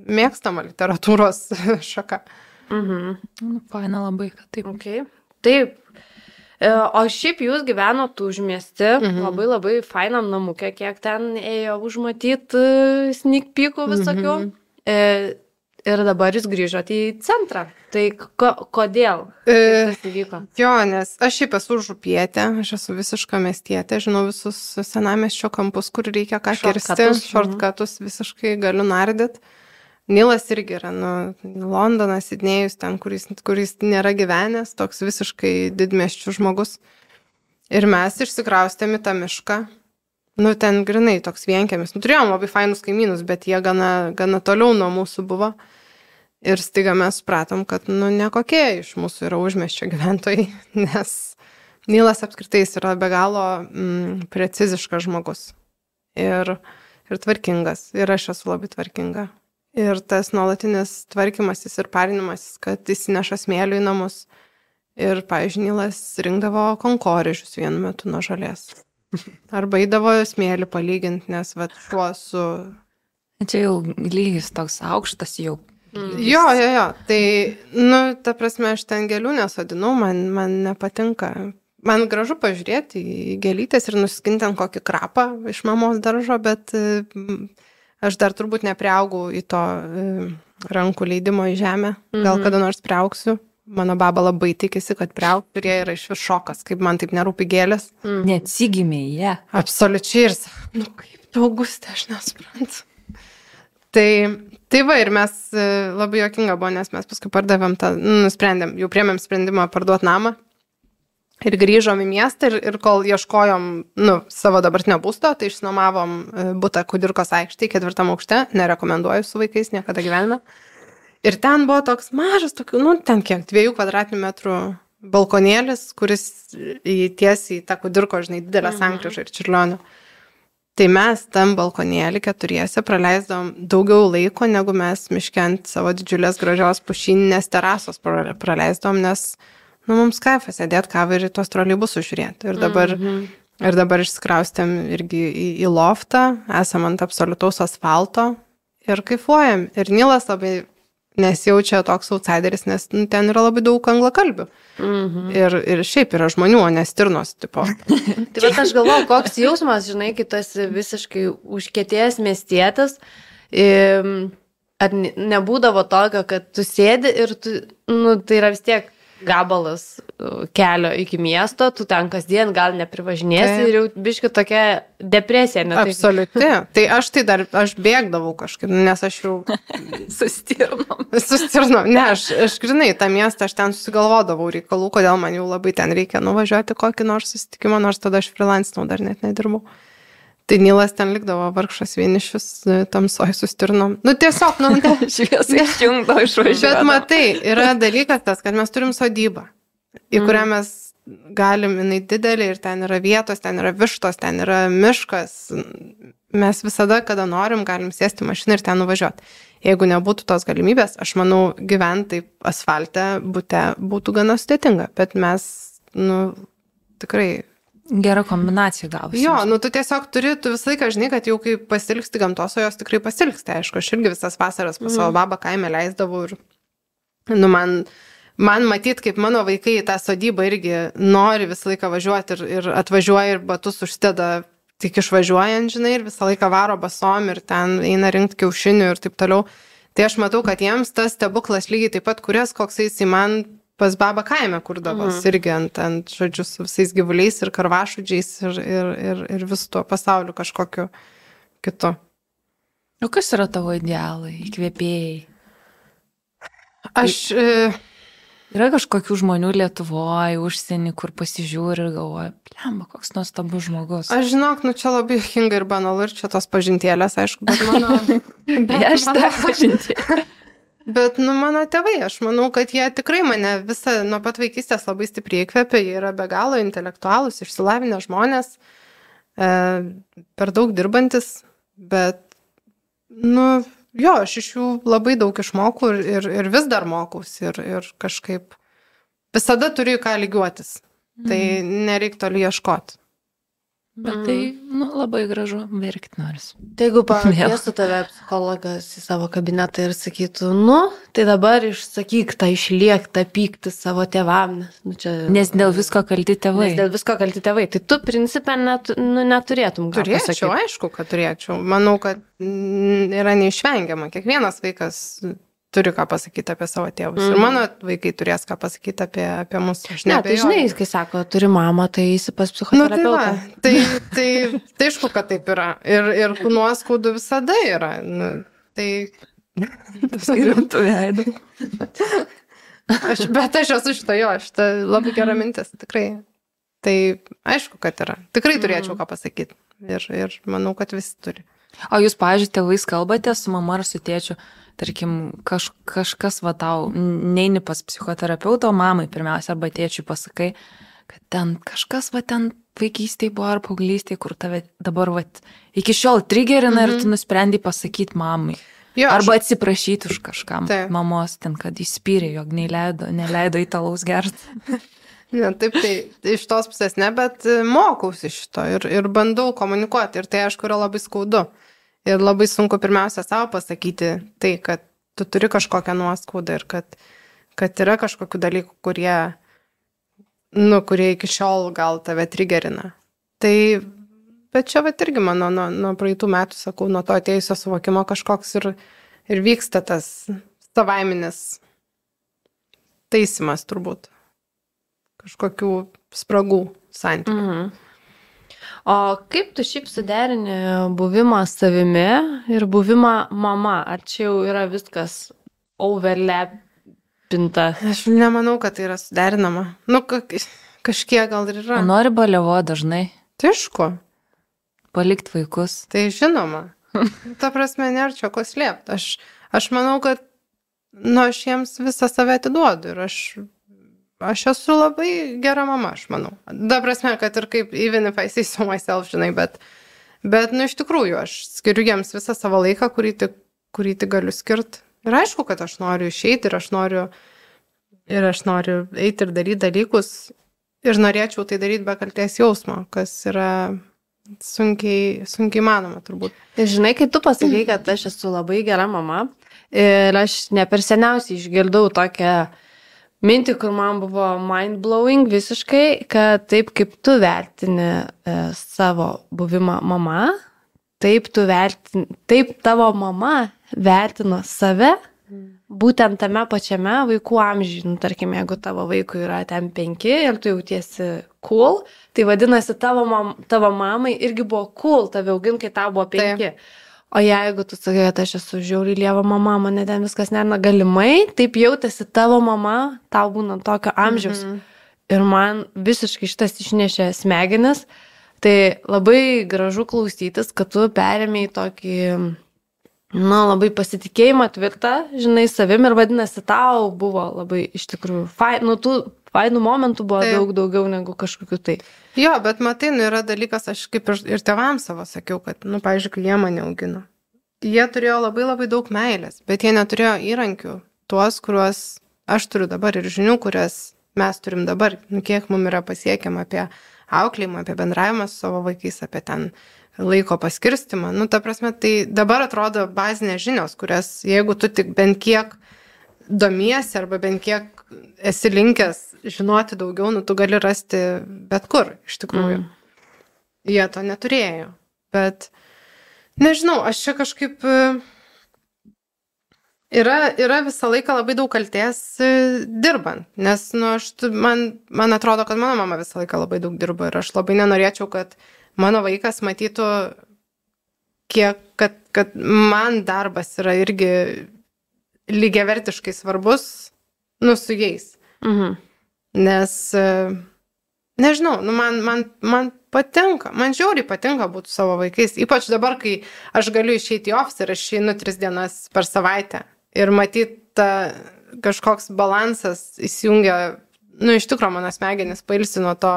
mėgstama literatūros šaka. Mhm. Nu, faina labai, kad taip. Okay. Taip. E, O šiaip jūs gyvenot užmiesti, Mhm. labai labai fainam namukė, kiek ten ėjo užmatyti sneak peekų visokių. Mhm. E, Ir dabar jūs grįžote į centrą. Tai ko, kodėl? E, Kas įvyko? jo, nes aš šiaip esu župietė, aš esu visiška miestietė, žinau visus senamiesčio kampus, kur reikia ką kirsti, Shortcutus, mhm. šortkatus visiškai galiu nardyti. Nilas irgi yra, nu, Londonas, Sidnėjus, ten, kuris, kuris nėra gyvenęs, toks visiškai didmiesčių žmogus. Ir mes išsikraustėm į tą mišką. Nu, ten grinai toks vienkiemis. Nu, turėjom labai fainus kaimynus, bet jie gana, gana toliau nuo mūsų buvo. Ir staiga mes supratom, kad, nu, nekokie iš mūsų yra užmiesčio gyventojai, nes Nilas apskritai jis yra be galo mm, preciziškas žmogus. Ir, ir tvarkingas. Ir aš esu labai tvarkinga. Ir tas nuolatinis tvarkymasis ir parinimasis, kad įsineša smėlių į namus. Ir, pavyzdžiui, Nilas rinkdavo konkorėžius vienu metu nuo žolės. Arba eidavo smėlį palyginti, nes vat šuo su... Čia jau lygis toks aukštas jau. Jo, jo, jo. Tai, nu, ta prasme, aš ten gėlių nesodinau, man, man nepatinka. Man gražu pažiūrėti į gėlytės ir nuskinti ant kokį krapą iš mamos daržo, bet mm, aš dar turbūt nepriaugau į to mm, rankų leidimo į žemę. Gal Mhm. kada nors priaugsiu. Mano baba labai tikisi, kad priaugsiu ir jie yra iš vis šokas, kaip man taip nerūpi gėlės. Neatsigimė jie. Absoliučiai ir, sa- nu kaip tu, Augustė, aš nesuprantu. Tai, tai va, ir mes e, labai juokinga buvo, nes mes paskui pardavėm tą, nu, nusprendėm, jau priėmėm sprendimą parduoti namą ir grįžom į miestą ir, ir kol ieškojom, nu, savo dabartinio būsto, tai išsinuomavom e, butą Kudirkos aikštėje, ketvirtam aukšte, nerekomenduoju su vaikais niekada gyvenime. Ir ten buvo toks mažas, tokių, nu, ten kiek, dviejų kvadratinių metrų balkonėlis, kuris į tiesiai į tą Kudirko, žinai, didelę sankryžą ir Čiurlionio. Tai mes tam balkonėlį keturiese praleisdavom daugiau laiko, negu mes miške ant savo didžiulės gražios pušyninės terasos pra- praleisdavom, nes, nu, mums kaifas sėdėti kavą ir į tuos troleibusus žiūrėti. Ir dabar, Mhm. ir dabar išsikraustėm irgi į, į loftą, esam ant absoliutaus asfalto ir kaifuojam. Ir Nilas labai nesijaučia toks outsideris, nes nu, ten yra labai daug anglakalbių. Mhm. Ir, ir šiaip yra žmonių, o ne stirnos tipo. Tai bet aš galvoju, koks jausmas, žinai, kai tu esi visiškai užkietėjęs miestietis, im, ar ne- nebūdavo tokio, kad tu sėdi ir tu, nu, tai yra vis tiek gabalas uh, kelio iki miesto, tu ten kasdien gal neprivažinėsi Taip. ir jau biški tokia depresija. Ne, tai- Absoliuti. Tai aš tai dar, aš bėgdavau kažkaip, nes aš jau Sustirnom. sustirnau. Ne, aš, aš grinai tą miestą, aš ten susigalvodavau reikalų, kodėl man jau labai ten reikia nuvažiuoti kokį nors susitikimą, nors tada aš freelancinau, dar net nedirbau. Tai Nilas ten likdavo vargšas vienišius, tamsoj sustirnom. Nu tiesiog, nu, šviesai išjungdo išvažiuoti. Bet matai, yra dalykas tas, kad mes turim sodybą, į kurią mes galim, jinai didelė ir ten yra vietos, ten yra vištos, ten yra miškas. Mes visada, kada norim, galim sėsti mašiną ir ten nuvažiuoti. Jeigu nebūtų tos galimybės, aš manau, gyventi asfalte bute būtų gana sudėtinga, bet mes, nu, tikrai... Gera kombinacija gavosi. Jo, nu tu tiesiog turi, tu visą laiką žinai, kad jau kai pasilgsti gamtos, o jos tikrai pasilgsti, aišku, aš irgi visas vasaras pas savo babą kaime leisdavau ir, nu, man, man matyt, kaip mano vaikai į tą sodybą irgi nori visą laiką važiuoti ir, ir atvažiuoja ir batus užsideda tik išvažiuojant, žinai, ir visą laiką varo basom ir ten eina rinkti kiaušinių ir taip toliau. Tai aš matau, kad jiems tas stebuklas lygiai taip pat, kurias koks jis į man pas babą kaime kurdavos, mhm. irgi ant, ant, žodžiu, su visais gyvuliais ir karvašudžiais ir, ir, ir, ir visų tuo pasauliu kažkokiu kitu. O kas yra tavo idealai, įkvėpėjai? Aš... E... Yra kažkokių žmonių Lietuvoje, užsienį, kur pasižiūri ir galvoja, plemba, koks nuostabus žmogus. Aš žinok, nu čia labai juokinga ir banalu ir čia tos pažintėlės, aišku, bet mano... bet aš tą pažintėlę. Bet, nu, mano tėvai, aš manau, kad jie tikrai mane visą nuo pat vaikystės labai stipriai įkvėpė, jie yra be galo intelektualūs, išsilavinę žmonės, e, per daug dirbantis, bet, nu, jo, aš iš jų labai daug išmokau ir, ir, ir vis dar mokausi ir, ir kažkaip visada turiu ką lygiuotis, tai nereik toli ieškoti. Bet tai, nu, labai gražu, verkti noris. Tai jeigu pakviestų tave psichologas į savo kabinetą ir sakytų, nu, tai dabar išsakyk tą išliektą pyktį savo tėvam. Nu, čia, nes dėl visko kalti tėvai. Nes dėl visko kalti tėvai. Tai tu, principė, net, nu, neturėtum. Turėčiau, pasakyti. Aišku, kad turėčiau. Manau, kad yra neišvengiama. Kiekvienas vaikas turi ką pasakyti apie savo tėvus. Mm. Ir mano vaikai turės ką pasakyti apie, apie mus. Aš ne, tai žinai, kai sako, turi mamą, tai eisi pas psichoterapeutą. Nu, tai, va, tai, tai, tai aišku, kad taip yra. Ir, ir nuoskaudų visada yra. Nu, tai... Rimtų veidų. Aš, bet aš esu šito jo, šitą labai gera mintis, tikrai. Tai aišku, kad yra. Tikrai turėčiau ką pasakyti. Ir, ir manau, kad visi turi. O jūs, pavyzdžiui, tėvais kalbate su mama ar su tėčiu? Tarkim, kaž, kažkas va tau, neini pas psichoterapeutą, mamai pirmiausia, arba tėčiui pasakai, kad ten kažkas va ten vaikystėje buvo ar paauglystėje, kur tave dabar va iki šiol trigerina mm-hmm. ir tu nusprendai pasakyti mamai. Jo, arba aš... atsiprašyti už kažkam taip. Mamos ten, kad įspyrė, jog neleido, neleido į talaus gerti. Ne, taip, tai iš tos pusės ne, bet mokausi šito ir, ir bandau komunikuoti ir tai aišku yra labai skaudu. Ir labai sunku pirmiausia savo pasakyti tai, kad tu turi kažkokią nuoskaudą ir kad, kad yra kažkokių dalykų, kurie, nu, kurie iki šiol gal tave trigerina. Tai, bet čia va irgi mano nuo, nuo praeitų metų, sakau, nuo to atėjusio suvokimo kažkoks ir, ir vyksta tas savaiminis taisymas turbūt. Kažkokių spragų santykių. Mhm. O kaip tu šiaip suderini buvimą savimi ir buvimą mama? Ar čia jau yra viskas overlapinta? Aš nemanau, kad tai yra suderinama. Nu, kažkiek gal ir yra. O nori baliavo dažnai? Tai aišku. Palikti vaikus? Tai žinoma. Ta prasme, nėra čia ko slėpti. Aš, aš manau, kad nu, aš jiems visą save atiduodu ir aš... Aš esu labai gera mama, aš manau. Da prasme, kad ir kaip even if I say so myself, žinai, bet, bet nu, iš tikrųjų, aš skiriu jiems visą savo laiką, kurį tik, kurį tik galiu skirti. Ir aišku, kad aš noriu išeiti ir aš noriu, ir aš noriu eiti ir daryti dalykus ir norėčiau tai daryti be kaltės jausmo, kas yra sunkiai, sunkiai manoma turbūt. Ir žinai, kai tu pasakai, kad aš esu labai gera mama ir aš ne per seniausiai išgirdau tokią mintį, kur man buvo mind-blowing visiškai, kad taip kaip tu vertini e, savo buvimą mama, taip, tu vertini, taip tavo mama vertino save būtent tame pačiame vaikų amžiui. Nu, tarkim, jeigu tavo vaikui yra ten penki ir tu jautiesi cool, tai vadinasi tavo, mam, tavo mamai irgi buvo cool tave auginti, kai tau buvo penki. Taip. O jeigu tu sakai, kad aš esu žiauriai lieva mama, mane ten viskas nerina, galimai, taip jautėsi tavo mama, tau būna tokio amžiaus. Mm-hmm. Ir man visiškai šitas išnešė smegenis, Tai labai gražu klausytis, kad tu perėmėjai tokį, nu, labai pasitikėjimą tvirtą, žinai, savim ir vadinasi, tau buvo labai iš tikrųjų, fain, nu, tų fainų momentų buvo Taip. daug daugiau negu kažkokiu tai. Jo, bet matai, nu, yra dalykas, aš kaip ir, ir tėvams savo sakiau, kad, nu, pavyzdžiui, kai jie mane augino. Jie turėjo labai labai daug meilės, bet jie neturėjo įrankių, tuos, kuriuos aš turiu dabar ir žinių, kurias mes turim dabar, nu, kiek mums yra pasiekiama apie auklėjimą, apie bendravimą su savo vaikais, apie ten laiko paskirstimą. Nu, ta prasme, tai dabar atrodo bazinės žinios, kurias, jeigu tu tik bent kiek domiesi arba bent kiek esi linkęs žinoti daugiau, nu, tu gali rasti bet kur, iš tikrųjų. Mm. Jie to neturėjo, bet nežinau, aš čia kažkaip yra, yra visą laiką labai daug kaltės dirbant, nes, nu, aš, man, man atrodo, kad mano mama visą laiką labai daug dirba ir aš labai nenorėčiau, kad mano vaikas matytų, kiek, kad, kad man darbas yra irgi lygiavertiškai svarbus, nu, su jais. Mhm. Nes, nežinau, nu, man, man, man patinka, man žiauriai patinka būti savo vaikais, ypač dabar, kai aš galiu išeiti į ofisą ir aš išeinu tris dienas per savaitę ir matyti ta kažkoks balansas įsijungia, nu, iš tikrųjų mano smegenis pailsi nuo to,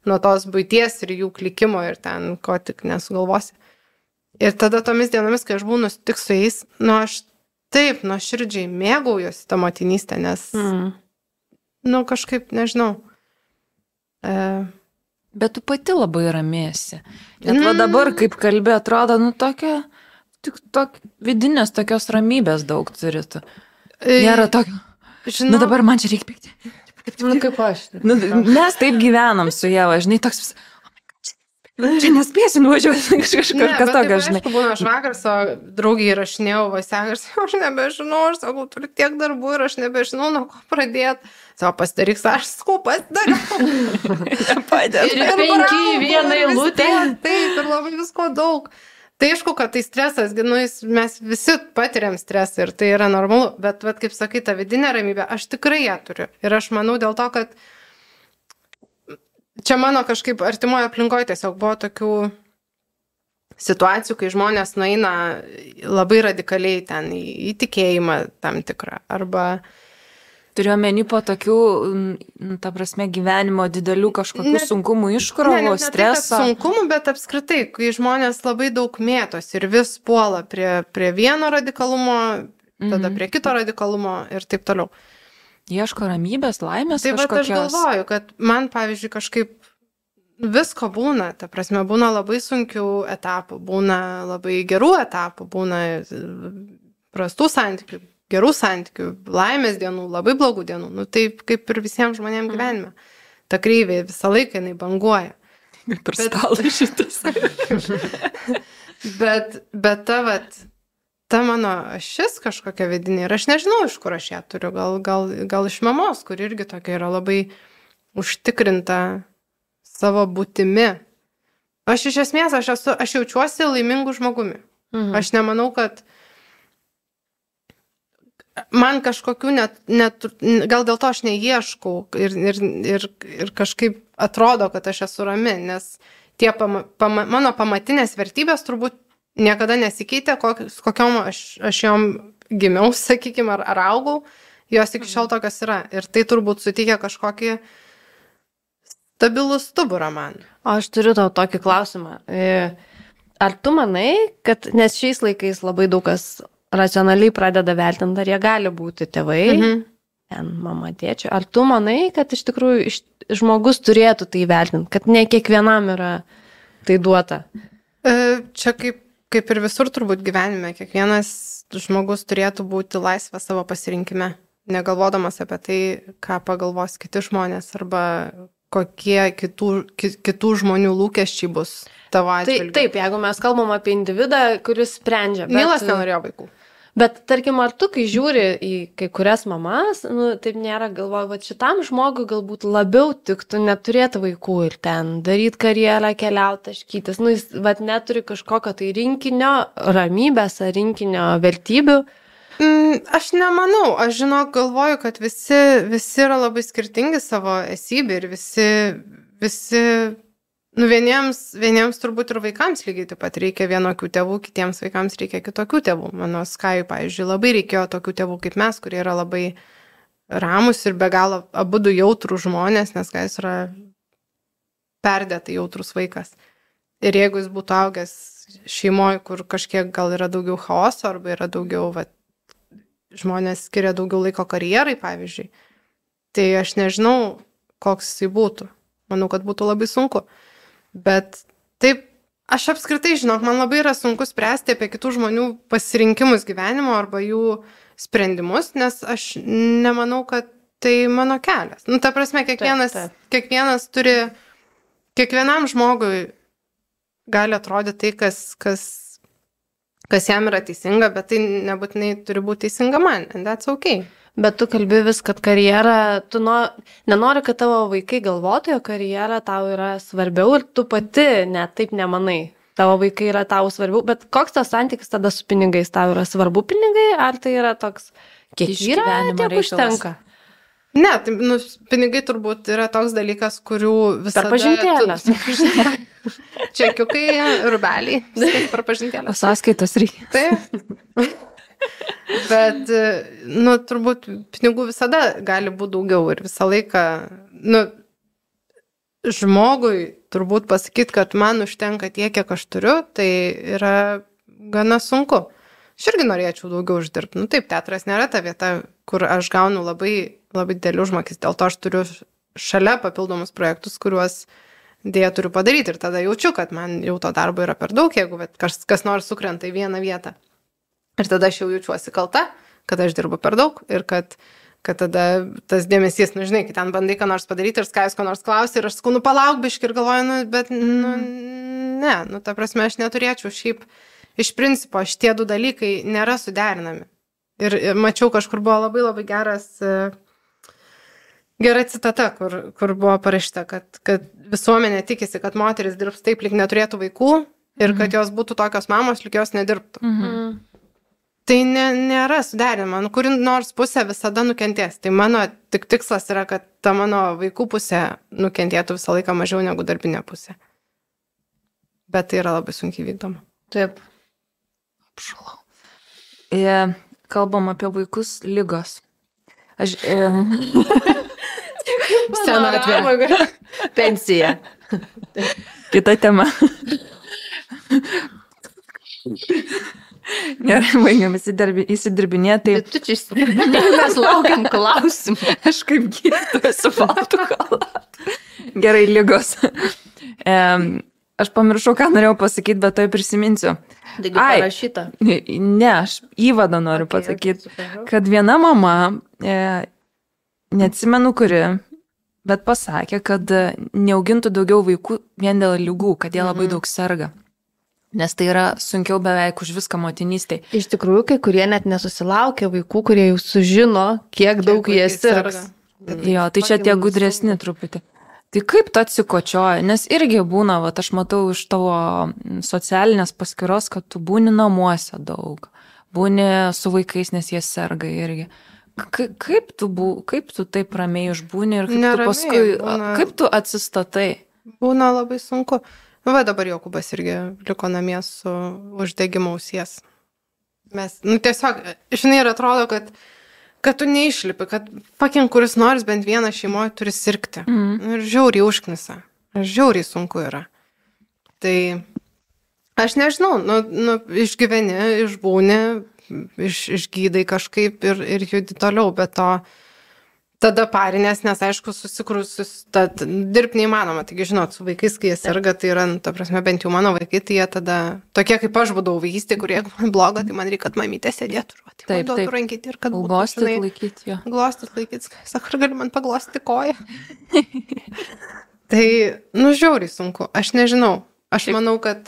nuo tos buities ir jų klikimo ir ten ko tik nesugalvosi. Ir tada tomis dienomis, kai aš būnu tik su jais, nu, aš taip nuoširdžiai mėgaujuosi tą motinystę, nes, mm. nu, kažkaip, nežinau. E... Bet tu pati labai ramiesi. Net va dabar, kaip kalbė, atrodo, nu, tokia, tik tok, vidinės tokios ramybės daug turi tu. Nėra tokio, žinau, nu, dabar man čia reikia pykti. Nu, kaip aš. Nu, mes taip gyvenam su Ieva, žinai, toks vis, čia nespėsiu nuvažiuoti kažkas tokio, žinai. Aišku, būna, aš vakar savo draugiai rašinėjau Vasiaką ir sakiau, aš nebežinau, aš sakau, turiu tiek darbų ir aš nebežinau, nuo ko pradėti. Savo pasidaryk, aš sakau, pasidaryk. Ir penki į vieną eilutę. Taip, ir labai visko daug. Tai aišku, kad tai stresas, nu, mes visi patiriam stresą ir tai yra normalu, bet, vat, kaip sakai, ta vidinė ramybė, aš tikrai ją turiu. Ir aš manau dėl to, kad čia mano kažkaip artimoje aplinkoje tiesiog buvo tokių situacijų, kai žmonės nueina labai radikaliai ten į, į tikėjimą tam tikrą. Arba turiu omeny po tokių, ta prasme, gyvenimo didelių kažkokių ne, sunkumų, iškrovų, streso. Tai, sunkumų, bet apskritai, kai žmonės labai daug mėtos ir vis puola prie, prie vieno radikalumo, tada mm-hmm. prie kito radikalumo ir taip toliau. Ieško ramybės, laimės tai kažkokios. Tai aš galvoju, kad man, pavyzdžiui, kažkaip visko būna, ta prasme, būna labai sunkių etapų, būna labai gerų etapų, būna prastų santykių, gerų santykių, laimės dienų, labai blogų dienų, nu taip kaip ir visiems žmonėms gyvenime. Ta kreivė visą laiką jinai banguoja. Per stalą šitas. bet, bet ta, vat, ta mano ašis kažkokia vidinė ir aš nežinau, iš kur aš ją turiu, gal, gal, gal iš mamos, kur irgi tokia yra labai užtikrinta savo būtimi. Aš iš esmės, aš, esu, aš jaučiuosi laimingų žmogumi. Mhm. Aš nemanau, kad man kažkokių net, net, gal dėl to aš neieškau ir, ir, ir, ir kažkaip atrodo, kad aš esu rami, nes tie pama, pama, mano pamatinės vertybės turbūt niekada nesikeitė, kokios, kokiom aš, aš jom gimiau, sakykime, ar, ar augau, jos iki šiol tokios yra. Ir tai turbūt suteikia kažkokį stabilų stuburą man. O aš turiu tau tokį klausimą. Ar tu manai, kad, nes šiais laikais labai daug kas racionaliai pradeda vertinti, ar jie gali būti tėvai, mhm. ten mama, tėčio. Ar tu manai, kad iš tikrųjų iš, žmogus turėtų tai vertinti, kad ne kiekvienam yra tai duota? Čia kaip, kaip ir visur turbūt gyvenime, kiekvienas žmogus turėtų būti laisvas savo pasirinkime, negalvodamas apie tai, ką pagalvos kiti žmonės arba kokie kitų, kitų žmonių lūkesčiai bus tavo atžvilgiu. Tai, taip, jeigu mes kalbam apie individą, kuris sprendžia. Bet, Nilas nenorėjo vaikų. Bet, tarkim, ar tu, kai žiūri į kai kurias mamas, nu, taip nėra, galvoju, va šitam žmogui galbūt labiau tiktų neturėti vaikų ir ten daryti karjerą, keliauti, taškytis. Nu, jis, va, neturi kažkokio tai rinkinio ramybės ar rinkinio vertybių. Mm, aš nemanau, aš žinok, galvoju, kad visi, visi yra labai skirtingi savo esybė ir visi, visi, nu, vieniems, vieniems turbūt ir vaikams lygiai taip pat reikia vienokių tėvų, kitiems vaikams reikia kitokių tėvų. Mano Skajui, pavyzdžiui, labai reikėjo tokių tėvų kaip mes, kurie yra labai ramus ir be galo abudu jautrų žmonės, nes Skajus yra perdėtai jautrus vaikas. Ir jeigu jis būtų augęs šeimoje, kur kažkiek gal yra daugiau chaoso arba yra daugiau, va, žmonės skiria daugiau laiko karjerai, pavyzdžiui, tai aš nežinau, koks jisai būtų. Manau, kad būtų labai sunku. Bet taip, aš apskritai, žinok, man labai yra sunku spręsti apie kitų žmonių pasirinkimus gyvenimo arba jų sprendimus, nes aš nemanau, kad tai mano kelias. Nu, ta prasme, kiekvienas, taip, taip. kiekvienas turi, kiekvienam žmogui gali atrodyti tai, kas, kas, kas jam yra teisinga, bet tai nebūtinai turi būti teisinga man, and that's okay. Bet tu kalbi vis, kad karjera, tu no, nenori, kad tavo vaikai galvotų, jo karjera tau yra svarbiau ir tu pati net taip nemanai. Tavo vaikai yra tau svarbiau, bet koks tas santykis tada su pinigais? Tau yra svarbu pinigai, ar tai yra toks, kiek yra, tiek užtenka? Ne, tai, nu, pinigai turbūt yra toks dalykas, kurių visada... Per pažintėlės. Tu... Čekiukai, rubeliai, viskas per pažintėlės. O sąskaitos reikia. Taip. Bet, nu, turbūt pinigų visada gali būti daugiau ir visą laiką, nu, žmogui turbūt pasakyti, kad man užtenka tiek, kiek aš turiu, tai yra gana sunku. Aš irgi norėčiau daugiau uždirbti. Nu, taip, teatras nėra ta vieta, kur aš gaunu labai, labai didelių užmokestį. Dėl to aš turiu šalia papildomus projektus, kuriuos dėja turiu padaryti. Ir tada jaučiu, kad man jau to darbo yra per daug, jeigu kas, kas nors sukrenta į vieną vietą. Ir tada aš jau jaučiuosi kalta, kad aš dirbu per daug ir kad, kad tada tas dėmesys, nu žinai, kai ten bandai ką nors padaryti ir Skajus ką nors klausi ir aš sakau, nu palauk biškį ir galvoju, nu, bet, nu, ne, nu, ta prasme, aš neturėčiau šiaip, iš principo, šitie du dalykai nėra suderinami. Ir, ir mačiau, kažkur buvo labai labai geras, gera citata, kur, kur buvo parašyta, kad, kad visuomenė tikisi, kad moteris dirbs taip, lyg neturėtų vaikų ir kad jos būtų tokios mamos, lyg jos nedirbtų. Mhm. Tai ne, nėra suderinama, nu, kuri nors pusė visada nukentės. Tai mano tik tikslas yra, kad ta mano vaikų pusė nukentėtų visą laiką mažiau negu darbinė pusė. Bet tai yra labai sunkiai vykdoma. Taip. Apšalau. E, kalbam apie vaikus lygos. Aš... E... Senatvė. Pensija. Kita tema. Gerai, baigiam įsidirbinėti. Bet tu čia įsidirbinėti, mes laukiam klausimų. Aš kaip gydytoja su baltu chalatu. Gerai, lygos. E, aš pamiršau, ką norėjau pasakyti, bet to prisiminsiu. Taigi parašyta. Ne, aš įvadą noriu okay, pasakyti, okay, kad viena mama, e, neatsimenu kuri, bet pasakė, kad neaugintų daugiau vaikų vien dėl ligų, kad jie labai mm-hmm. daug serga. Nes tai yra sunkiau beveik už viską motinystėj. Iš tikrųjų, kai kurie net nesusilaukia vaikų, kurie jau sužino, kiek, kiek daug jie sirgs. Jo, tai čia tie gudresni truputį. Tai kaip tu atsikočioji? Nes irgi būna, va, aš matau iš tavo socialinės paskyros, kad tu būni namuose daug. Būni su vaikais, nes jie serga irgi. Ka- kaip, tu bu, kaip tu taip ramiai išbūni ir kaip Neramiai, tu paskui, būna... kaip tu atsistatai? Būna labai sunku. Va, dabar Jokūbas irgi liko namie su uždegimo ausies. Mes, nu tiesiog, žinai, ir atrodo, kad, kad tu neišlipi, kad pakin kuris nors bent vieną šeimoje turi sirgti. Mm. Ir žiauriai užknisa. Žiauriai sunku yra. Tai aš nežinau, nu, nu išgyveni, išbūni, iš, išgydai kažkaip ir, ir judi toliau, bet to tada parinės, nes aišku, susikrūsus, dirbti neįmanoma. Taigi, žinot, su vaikais, kai jie serga, tai yra, nu, ta prasme, bent jau mano vaikai, tai jie tada, tokie kaip aš būdavau vaikystė, kurie man bloga, tai man reikia, kad mamytė sėdėtų, tai man duotų rankyti ir kad būtų, glostit laikyti jo. Glostit laikyti, sako, ar gali man paglostyti koją? Tai, nu, žiauriai sunku, aš nežinau. Aš Taip. manau, kad,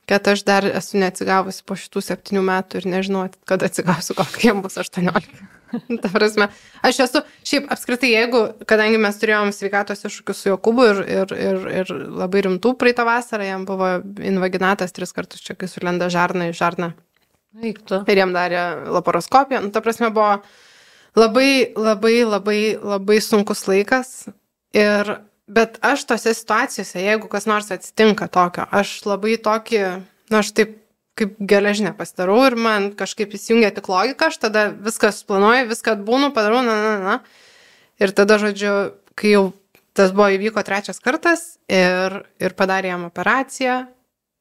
kad aš dar esu neatsigavusi po šitų septynių metų ir nežinau, kad atsigausiu, kokie jam bus aštuoniolika. Ta prasme, aš esu, šiaip apskritai, jeigu, kadangi mes turėjom sveikatos iššūkius su Jokūbu ir, ir, ir, ir labai rimtų praeitą vasarą, jam buvo invaginatas tris kartus čia, kai sulenda žarną į žarną. Eiktų. Ir jam darė laparoskopiją. Nu, ta prasme, buvo labai, labai, labai, labai sunkus laikas. Ir bet aš tose situacijose, jeigu kas nors atsitinka tokio, aš labai tokį, na, aš taip kaip geležinę pasidarau ir man kažkaip įsijungia tik logika, aš tada viską suplanuoju, viską atbūnu, padarau, na, na, na. Ir tada, žodžiu, kai jau tas buvo įvyko trečias kartas ir, ir padarė jam operaciją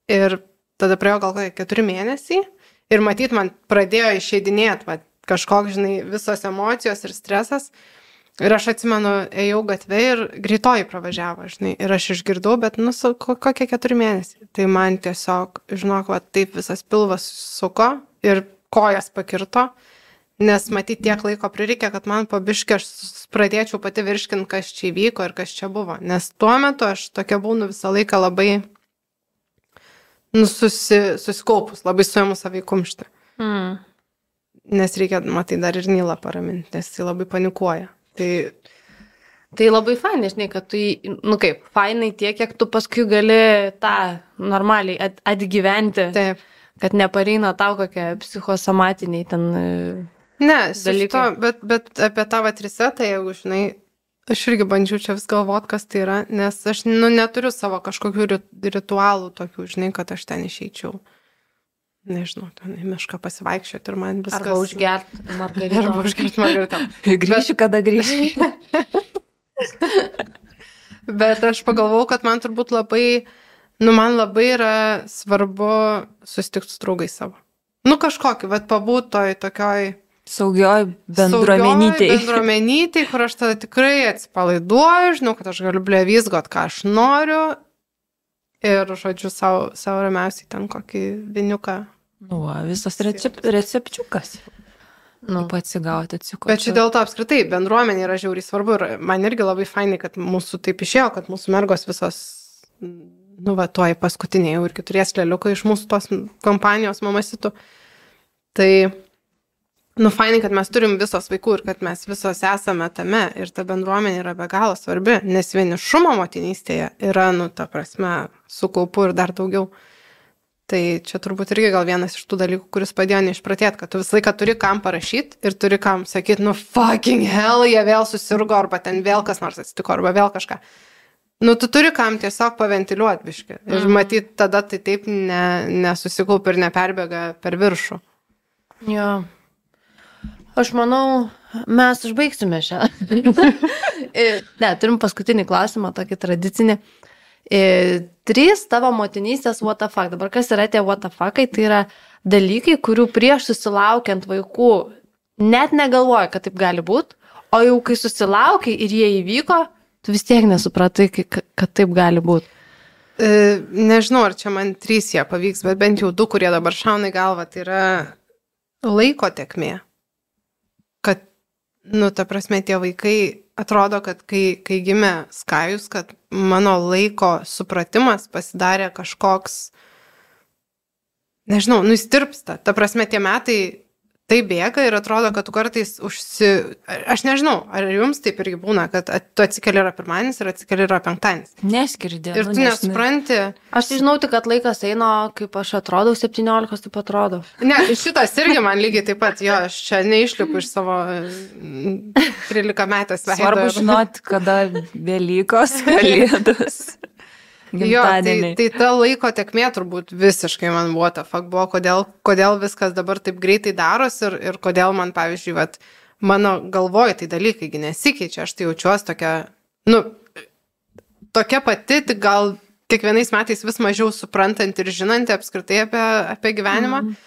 ir tada praėjo gal kokie keturi mėnesiai ir matyt, man pradėjo išeidinėti va, kažkoks, žinai, visos emocijos ir stresas. Ir aš atsimenu, ėjau gatvė ir greitoji pravažiavo, žinai, ir aš išgirdau, bet, nu, su, kokie keturi mėnesiai. Tai man tiesiog, žinok, va, taip visas pilvas suko ir kojas pakirto, nes matyt tiek laiko prireikė, kad man po biškį aš pradėčiau pati virškinti, kas čia įvyko ir kas čia buvo. Nes tuo metu aš tokia būnu visą laiką labai, nu, susi, susikaupus, labai suėmus savai kumštį. Mm. Nes reikia, matai, dar ir Nilą paraminti, nes jis labai panikuoja. Tai, tai labai fainai, žinai, kad tu, nu kaip, fainai tiek, kiek tu paskui gali tą normaliai at, atgyventi, taip. Kad nepareina tau kokie psichosomatiniai ten ne, dalykai. To, bet, bet apie tą vat resetą, jeigu, žinai, aš irgi bandžiau čia vis galvot, kas tai yra, nes aš, nu, neturiu savo kažkokių ritualų tokių, žinai, kad aš ten išeičiau. Nežinau, ten į mišką pasivaikščioti ir man viskas... Arba užgerti margaritą. Arba užgerti margaritą. Grįšiu, kada grįšiu. Bet aš pagalvojau, kad man turbūt labai, nu, man labai yra svarbu susitikti su draugais savo. Nu, kažkokį, vat pabūt toj tokioj... Saugioj bendruomenytėj. Saugioj bendruomenytėj, kur aš tada tikrai atsipalaiduoju, žinau, kad aš galiu blevizgot, ką aš noriu. Ir, žodžiu, savo, savo ramiausiai ten kokį viniuką. Nu, visas recep, recepčiukas. Nu, atsigauti, atsikoti. Bet čia dėl to apskritai bendruomenė yra žiauriai svarbu. Ir man irgi labai fainai, kad mūsų taip išėjo, kad mūsų mergos visos, nu, va, tuoj paskutiniai jau irgi turės lėliuką iš mūsų tos kompanijos mamasitų. Tai, nu, fainai, kad mes turim visos vaikų ir kad mes visos esame tame. Ir ta bendruomenė yra be galo svarbi, nes vienišumo motinystėje yra, nu, ta prasme, su kaupu ir dar daugiau. Tai čia turbūt irgi gal vienas iš tų dalykų, kuris padėjo neišpratėti, kad tu visą laiką turi kam parašyti ir turi kam sakyti, nu fucking hell, jie vėl susirgo, arba ten vėl kas nors atsitiko, arba vėl kažką. Nu, tu turi kam tiesiog paventiliuoti biškį. Ir mm. matyt, tada tai taip ne, nesusikaup ir neperbėga per viršų. Jo. Aš manau, mes užbaigsime šią. Ne, turim paskutinį klausimą, tokį tradicinį. E, trys tavo motinystės what the fuck. Dabar kas yra tie what the fuckai? Tai yra dalykai, kurių prieš susilaukiant vaikų net negalvoja, kad taip gali būti, o jau kai susilaukiai ir jie įvyko, tu vis tiek nesupratai, kad taip gali būti. E, nežinau, ar čia man trys jie pavyks, bet bent jau du, kurie dabar šauna į galvą, tai yra laiko tekmė. Kad, nu, ta prasme, tie vaikai atrodo, kad kai, kai gimė Skajus, kad mano laiko supratimas pasidarė kažkoks, nežinau, nu, įstirpsta. Ta prasme, tie metai tai bėga ir atrodo, kad tu kartais užsi... Aš nežinau, ar jums taip irgi būna, kad tu atsikeli yra pirmadienis ir atsikeli yra penktadienis. Neskirdė. Ir tu nu, nesupranti. Aš žinau tik, kad laikas eina, kaip aš atrodau, septyniolikos taip atrodo. Ne, šitas irgi man lygiai taip pat, jo, aš čia neišlipu iš savo trylika metės veido. Svarbu žinoti, kada Velykos, Kalėdos. Jo, tai, tai ta laiko tekmė turbūt visiškai man buvo ta fakt buvo, kodėl, kodėl viskas dabar taip greitai daros ir, ir kodėl man, pavyzdžiui, vat, mano galvoj tai dalykai nesikeičia, aš tai jaučiuosi tokia, nu, tokia pati, tik gal kiekvienais metais vis mažiau suprantanti ir žinanti apskritai apie, apie gyvenimą, mm.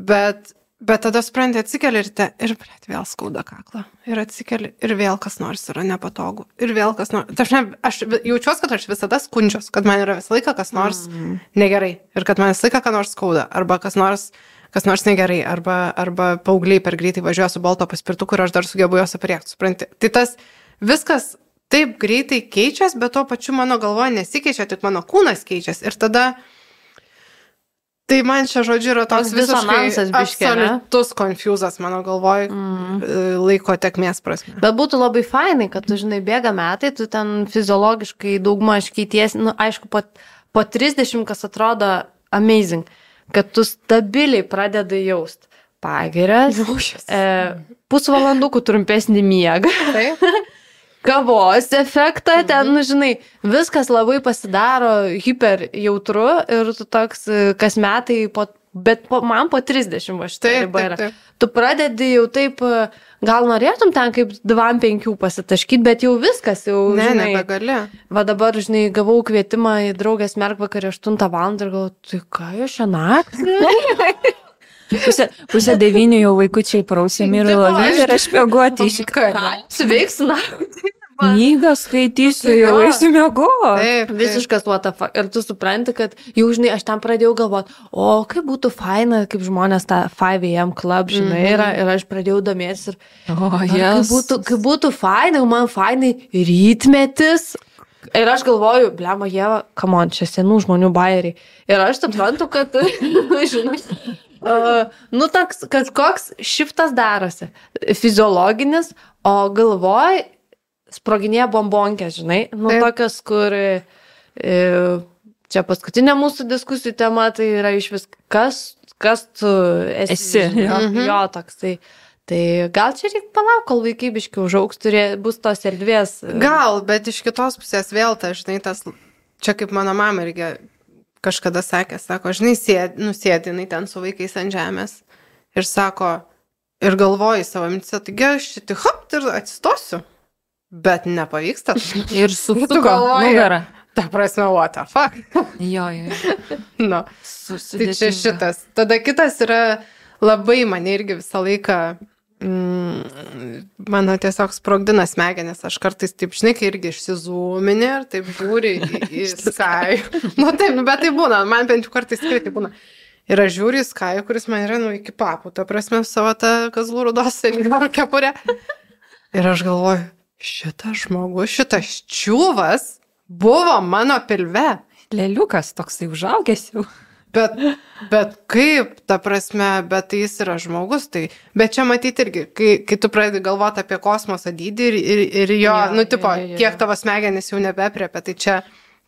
bet, bet tada supranti, atsikeli ir, te, ir blėt, vėl skauda kaklą, ir atsikeli, ir vėl kas nors yra nepatogu, ir vėl kas nors, aš, ne, aš jaučiuosi, kad aš visada skundžiuos, kad man yra visą laiką kas nors mm. negerai, ir kad man visą laiką kas nors skauda, arba kas nors, kas nors negerai, arba, arba paaugliai per greitai važiuoja su balto paspirtuku ir aš dar sugebu juos apriekti, supranti. Tai tas viskas taip greitai keičiasi, bet tuo pačiu mano galvoje nesikeičia, tik mano kūnas keičiasi, ir tada tai man čia, žodžiu, yra toks visiškai absoliutus konfuzas mano galvoj mm. laiko tekmės prasme. Bet būtų labai fainai, kad tu, žinai, bėga metai, tu ten fiziologiškai daugmaž keitiesi, nu, aišku, po, po trisdešimt, kas atrodo amazing, kad tu stabiliai pradedai jaust pagirias, e, pusvalandukų trumpesnį miegą. Taip. kavos efektą, ten, nu, žinai, viskas labai pasidaro hiper jautru ir tu toks kas metai, po, bet po, man po trisdešimt va šitą ribą yra. Tu pradedi jau taip, gal norėtum ten kaip dvam penkių pasitaškyti, bet jau viskas, jau, ne, žinai. Nebegali. Va dabar, žinai, gavau kvietimą į draugės merkvakarį aštuntą valandą ir galvoju, tai ką jau šią naktį? Pusė, pusė devynių jau vaikučiai prausėmi ir lovyti ir aš mėguoti iš karą. Suveiksiu naktį. Knygą skaitysiu, jau eisiu mėguoti. Taip, visiškas what the fuck. Ir tu supranti, kad jau, žinai, aš ten pradėjau galvoti, o kaip būtų faina, kaip žmonės tą five a m club, žinai, yra, ir aš pradėjau domėtis ir oh, yes. kaip, būtų, kaip būtų faina, man fainai rytmetis. Ir aš galvoju, blema, Ieva, come on, čia senų žmonių bairiai. Ir aš suprantu, kad, žinai, uh, nu, toks kažkoks šiftas darosi, fiziologinis, o galvoj sproginėja bombonkės, žinai, nu, Taip. tokios, kur e, čia paskutinė mūsų diskusijų tema, tai yra iš vis, kas, kas tu esi, esi jo, mhm. jo toks, tai Tai gal čia reikia palauk, kol vaikai biški užaugs, turė, bus tos erdvės. Gal, bet iš kitos pusės vėl, tai, žinai, tas, čia kaip mano mama irgi kažkada sakė, sako, žinai, sėd, nusėdi, jinai ten su vaikais ant žemės ir sako, ir galvoji savo mintyse, taigi aš šitį hop ir atsistosiu, bet nepavyksta. Ir susuko nugarą. Ta prasme, what the fuck? Jo, jo. No. Tai čia šitas. Tada kitas yra labai mane irgi visą laiką, mm, mano tiesiog sprogdina smegenis, aš kartais taip, žinai, kai irgi išsizūminė ir taip žiūri į, į Sky. Nu taip, nu, bet tai būna, man bent jau kartais tikrai tai būna. Ir aš žiūriu į Sky, kuris man yra, nu, iki papų, ta prasme, savo tą kazlų rudos senjorų kepurę. Ir aš galvoju, šitas žmogus, šitas čiūvas buvo mano pilve. Leliukas toksai užaugęs jau. Bet, bet kaip, ta prasme, bet tai jis yra žmogus, tai, bet čia matyti irgi, kai, kai tu pradedi galvoti apie kosmoso dydį ir, ir, ir jo, ja, nu, tipo, ja, ja, ja. Kiek tavo smegenis jau nebepriepia, tai čia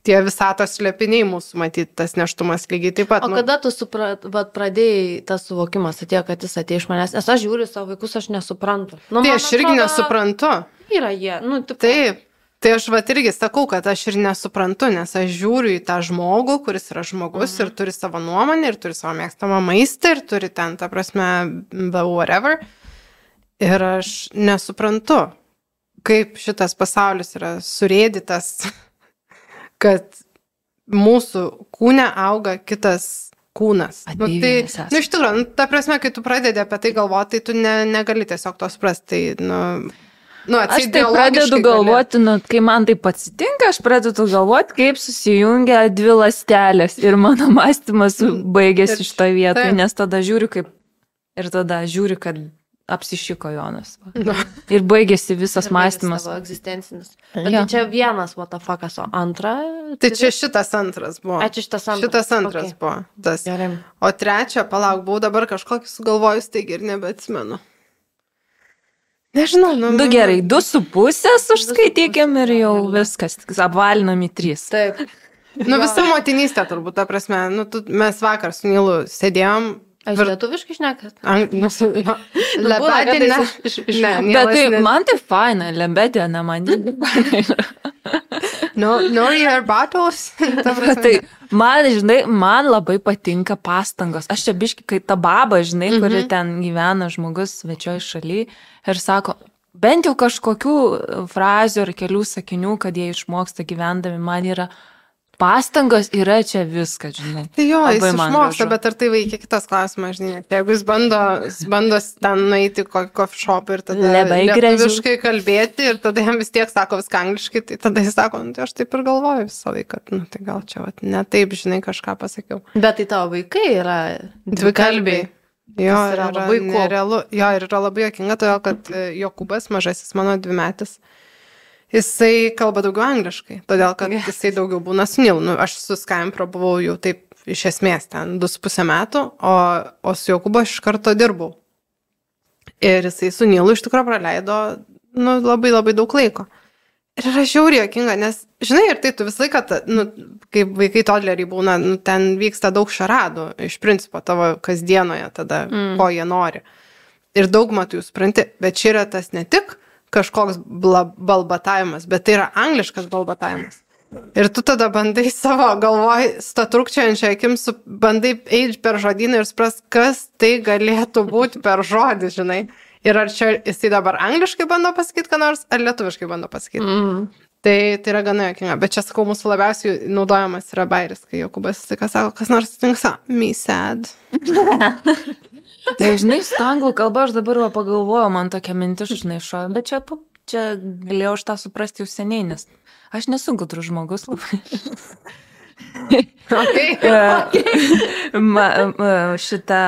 tie visatos slėpiniai mūsų, matyti, tas neštumas lygiai taip pat. O nu. kada tu suprat, vat, pradėjai tas suvokimas atėjo, kad jis atėjo iš manęs, nes aš žiūriu savo vaikus, aš nesuprantu. Nu, tai aš irgi atrodo, nesuprantu. Yra jie, nu, tipo. Taip. Tai aš vat irgi sakau, kad aš ir nesuprantu, nes aš žiūriu į tą žmogų, kuris yra žmogus mhm. ir turi savo nuomonę, ir turi savo mėgstamą maistą, ir turi ten, ta prasme, whatever. Ir aš nesuprantu, kaip šitas pasaulis yra surėdytas, kad mūsų kūne auga kitas kūnas. Nu, tai, nu, iš tikrųjų, nu, ta prasme, kai tu pradedi apie tai galvoti, tai tu ne, negali tiesiog to suprasti. Tai, nu, Nu, aš tai pradedu galvoti, nu, kai man tai atsitinka, aš pradedu galvoti, kaip susijungia dvi ląstelės ir mano mąstymas baigėsi iš to vietoj, nes tada žiūriu, kaip ir tada žiūriu, kad apsišiko Jonas. No. Ir baigėsi visas ir mąstymas. Savo egzistencinis. Bet ja. Tai čia vienas what the fuckas, o antra? Tai čia šitas antras buvo. Ačiū šitas antras. Šitas antras okay. buvo. Tas. Gerai. O trečia, palauk, buvau dabar kažkokį sugalvojus, taigi ir nebeatsimenu. Nežinau, nu. Du gerai, du su pusės užskaitykim ir jau viskas, apvalinam į trys. Taip. Nu, visa motinystė turbūt, ta prasme, nu, tu, mes vakar su Nilu sėdėjom. Aš vir... lietuviškai šnekat? Nu, lebedė, ne. ne Bet tai, ne... man tai faina, lebedė, ne man. No, no your battles. Tai man, žinai, man labai patinka pastangos. Aš čia biški, kai ta baba, žinai, mm-hmm. kuri ten gyvena žmogus svečioj šaly ir sako, bent jau kažkokių frazių ar kelių sakinių, kad jie išmoksta gyvendami, man yra pastangos, yra čia viskas, žinai. Tai jo, jis išmoksta, bet ar tai vaikia kitas klausimas, žinai. Jeigu jis bando, jis bando ten nueiti kokį coffee shop ir tada lietuviškai kalbėti ir tada jam vis tiek sako viską angliškai, tai tada jis sako, nu, tai aš taip ir galvoju visą laiką, nu, tai gal čia vat, ne taip, žinai, kažką pasakiau. Bet tai tavo vaikai yra dvikalbiai. Jo, yra labai nerealu. Jo, ir yra labai juokinga, todėl kad Jokūbas, mažasis mano dvimetis, jisai kalba daugiau angliškai, todėl kad yes. jisai daugiau būna su Nilu. Nu, aš su Skype prabuvau jau taip iš esmės ten du su pusę metų, o, o su Jokūbu aš iš karto dirbau. Ir jisai su Nilu iš tikrųjų praleido nu, labai labai daug laiko. Ir yra žiauriai juokinga, nes, žinai, ir tai tu visą laiką, nu, kaip vaikai todleriai būna, nu, ten vyksta daug šaradų, iš principo tavo kasdienoje tada, mm. ko jie nori. Ir daugumą tu jų supranti, bet čia yra tas ne tik, kažkoks bla, balbatavimas, bet tai yra angliškas balbatavimas. Ir tu tada bandai savo galvoj, statrukčiančią akim, su, bandai eiti per žodyną ir supras, kas tai galėtų būti per žodį, žinai. Ir ar čia jisai dabar angliškai bando pasakyti, ką nors, ar lietuviškai bando pasakyti. Mm. Tai, tai yra gana jokinga. Bet čia, sakau, mūsų labiausiai naudojamas yra bairis, kai Jokūbas tai ką sako, kas nors atsitinka, me sad. Tai, žinai, su anglų kalba aš dabar va pagalvojau, man tokia mintis, žinai, šo, bet čia, čia galėjau aš tą suprasti jau seniai, nes aš nesu gudrus žmogus labai. Okay. ma, ma, šitą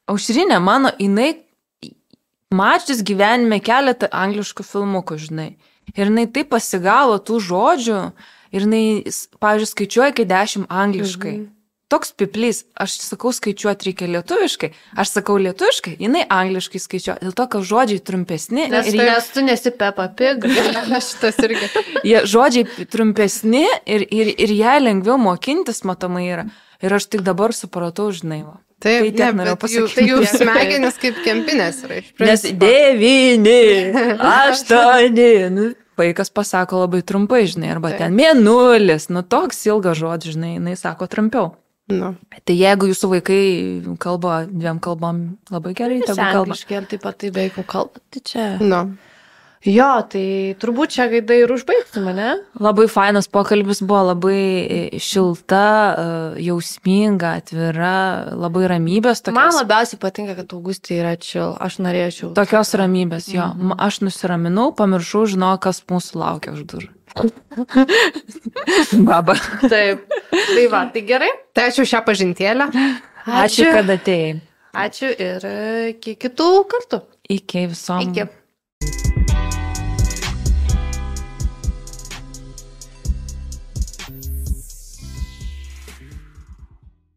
Aušrinė mano, jinai mačius gyvenime keletą angliškų filmukų, žinai. Ir jinai taip pasigavo tų žodžių ir jinai, pavyzdžiui, skaičiuoja iki dešimt angliškai. Mhm. Toks piplys, aš sakau skaičiuoti reikia lietuviškai, aš sakau lietuviškai, jinai angliškai skaičiuoja, dėl to, kad žodžiai trumpesni. Nes, ir tai, nes tu nesi Peppa Pig. Šitas irgi. Jie žodžiai trumpesni ir, ir, ir ją lengviau mokintis, matomai yra. Ir aš tik dabar supratau, žinai, va. Taip, tai tiek norėjau pasakyti. Tai jų smegenis kaip kempinės yra. Nes devyni, aštuoni, nu, vaikas pasako labai trumpai, žinai, arba taip. Ten mėnulis, nu, toks ilgas žodis, žinai, jinai sako trumpiau. No. Tai jeigu jūsų vaikai kalba dviem kalbam labai gerai, tegu kalba. Angliškai, ar taip pat tai beveik kalba, tai čia. No. Jo, tai turbūt čia gaidai ir užbaigtume, ne? Labai fainas pokalbis buvo, labai šilta, jausminga, atvira, labai ramybės. Tokios... Man labiausiai patinka, kad Augustė yra chill, aš norėčiau. Tokios ramybės, jo. Mm. Aš nusiraminau, pamiršau, žinau, kas mūsų laukia už durų. Baba. Taip. Tai va, tai gerai. Tai ačiū šią pažintėlę. Ačiū, ačiū kad atėjai. Ačiū ir iki kitų kartų. Iki visom. Iki.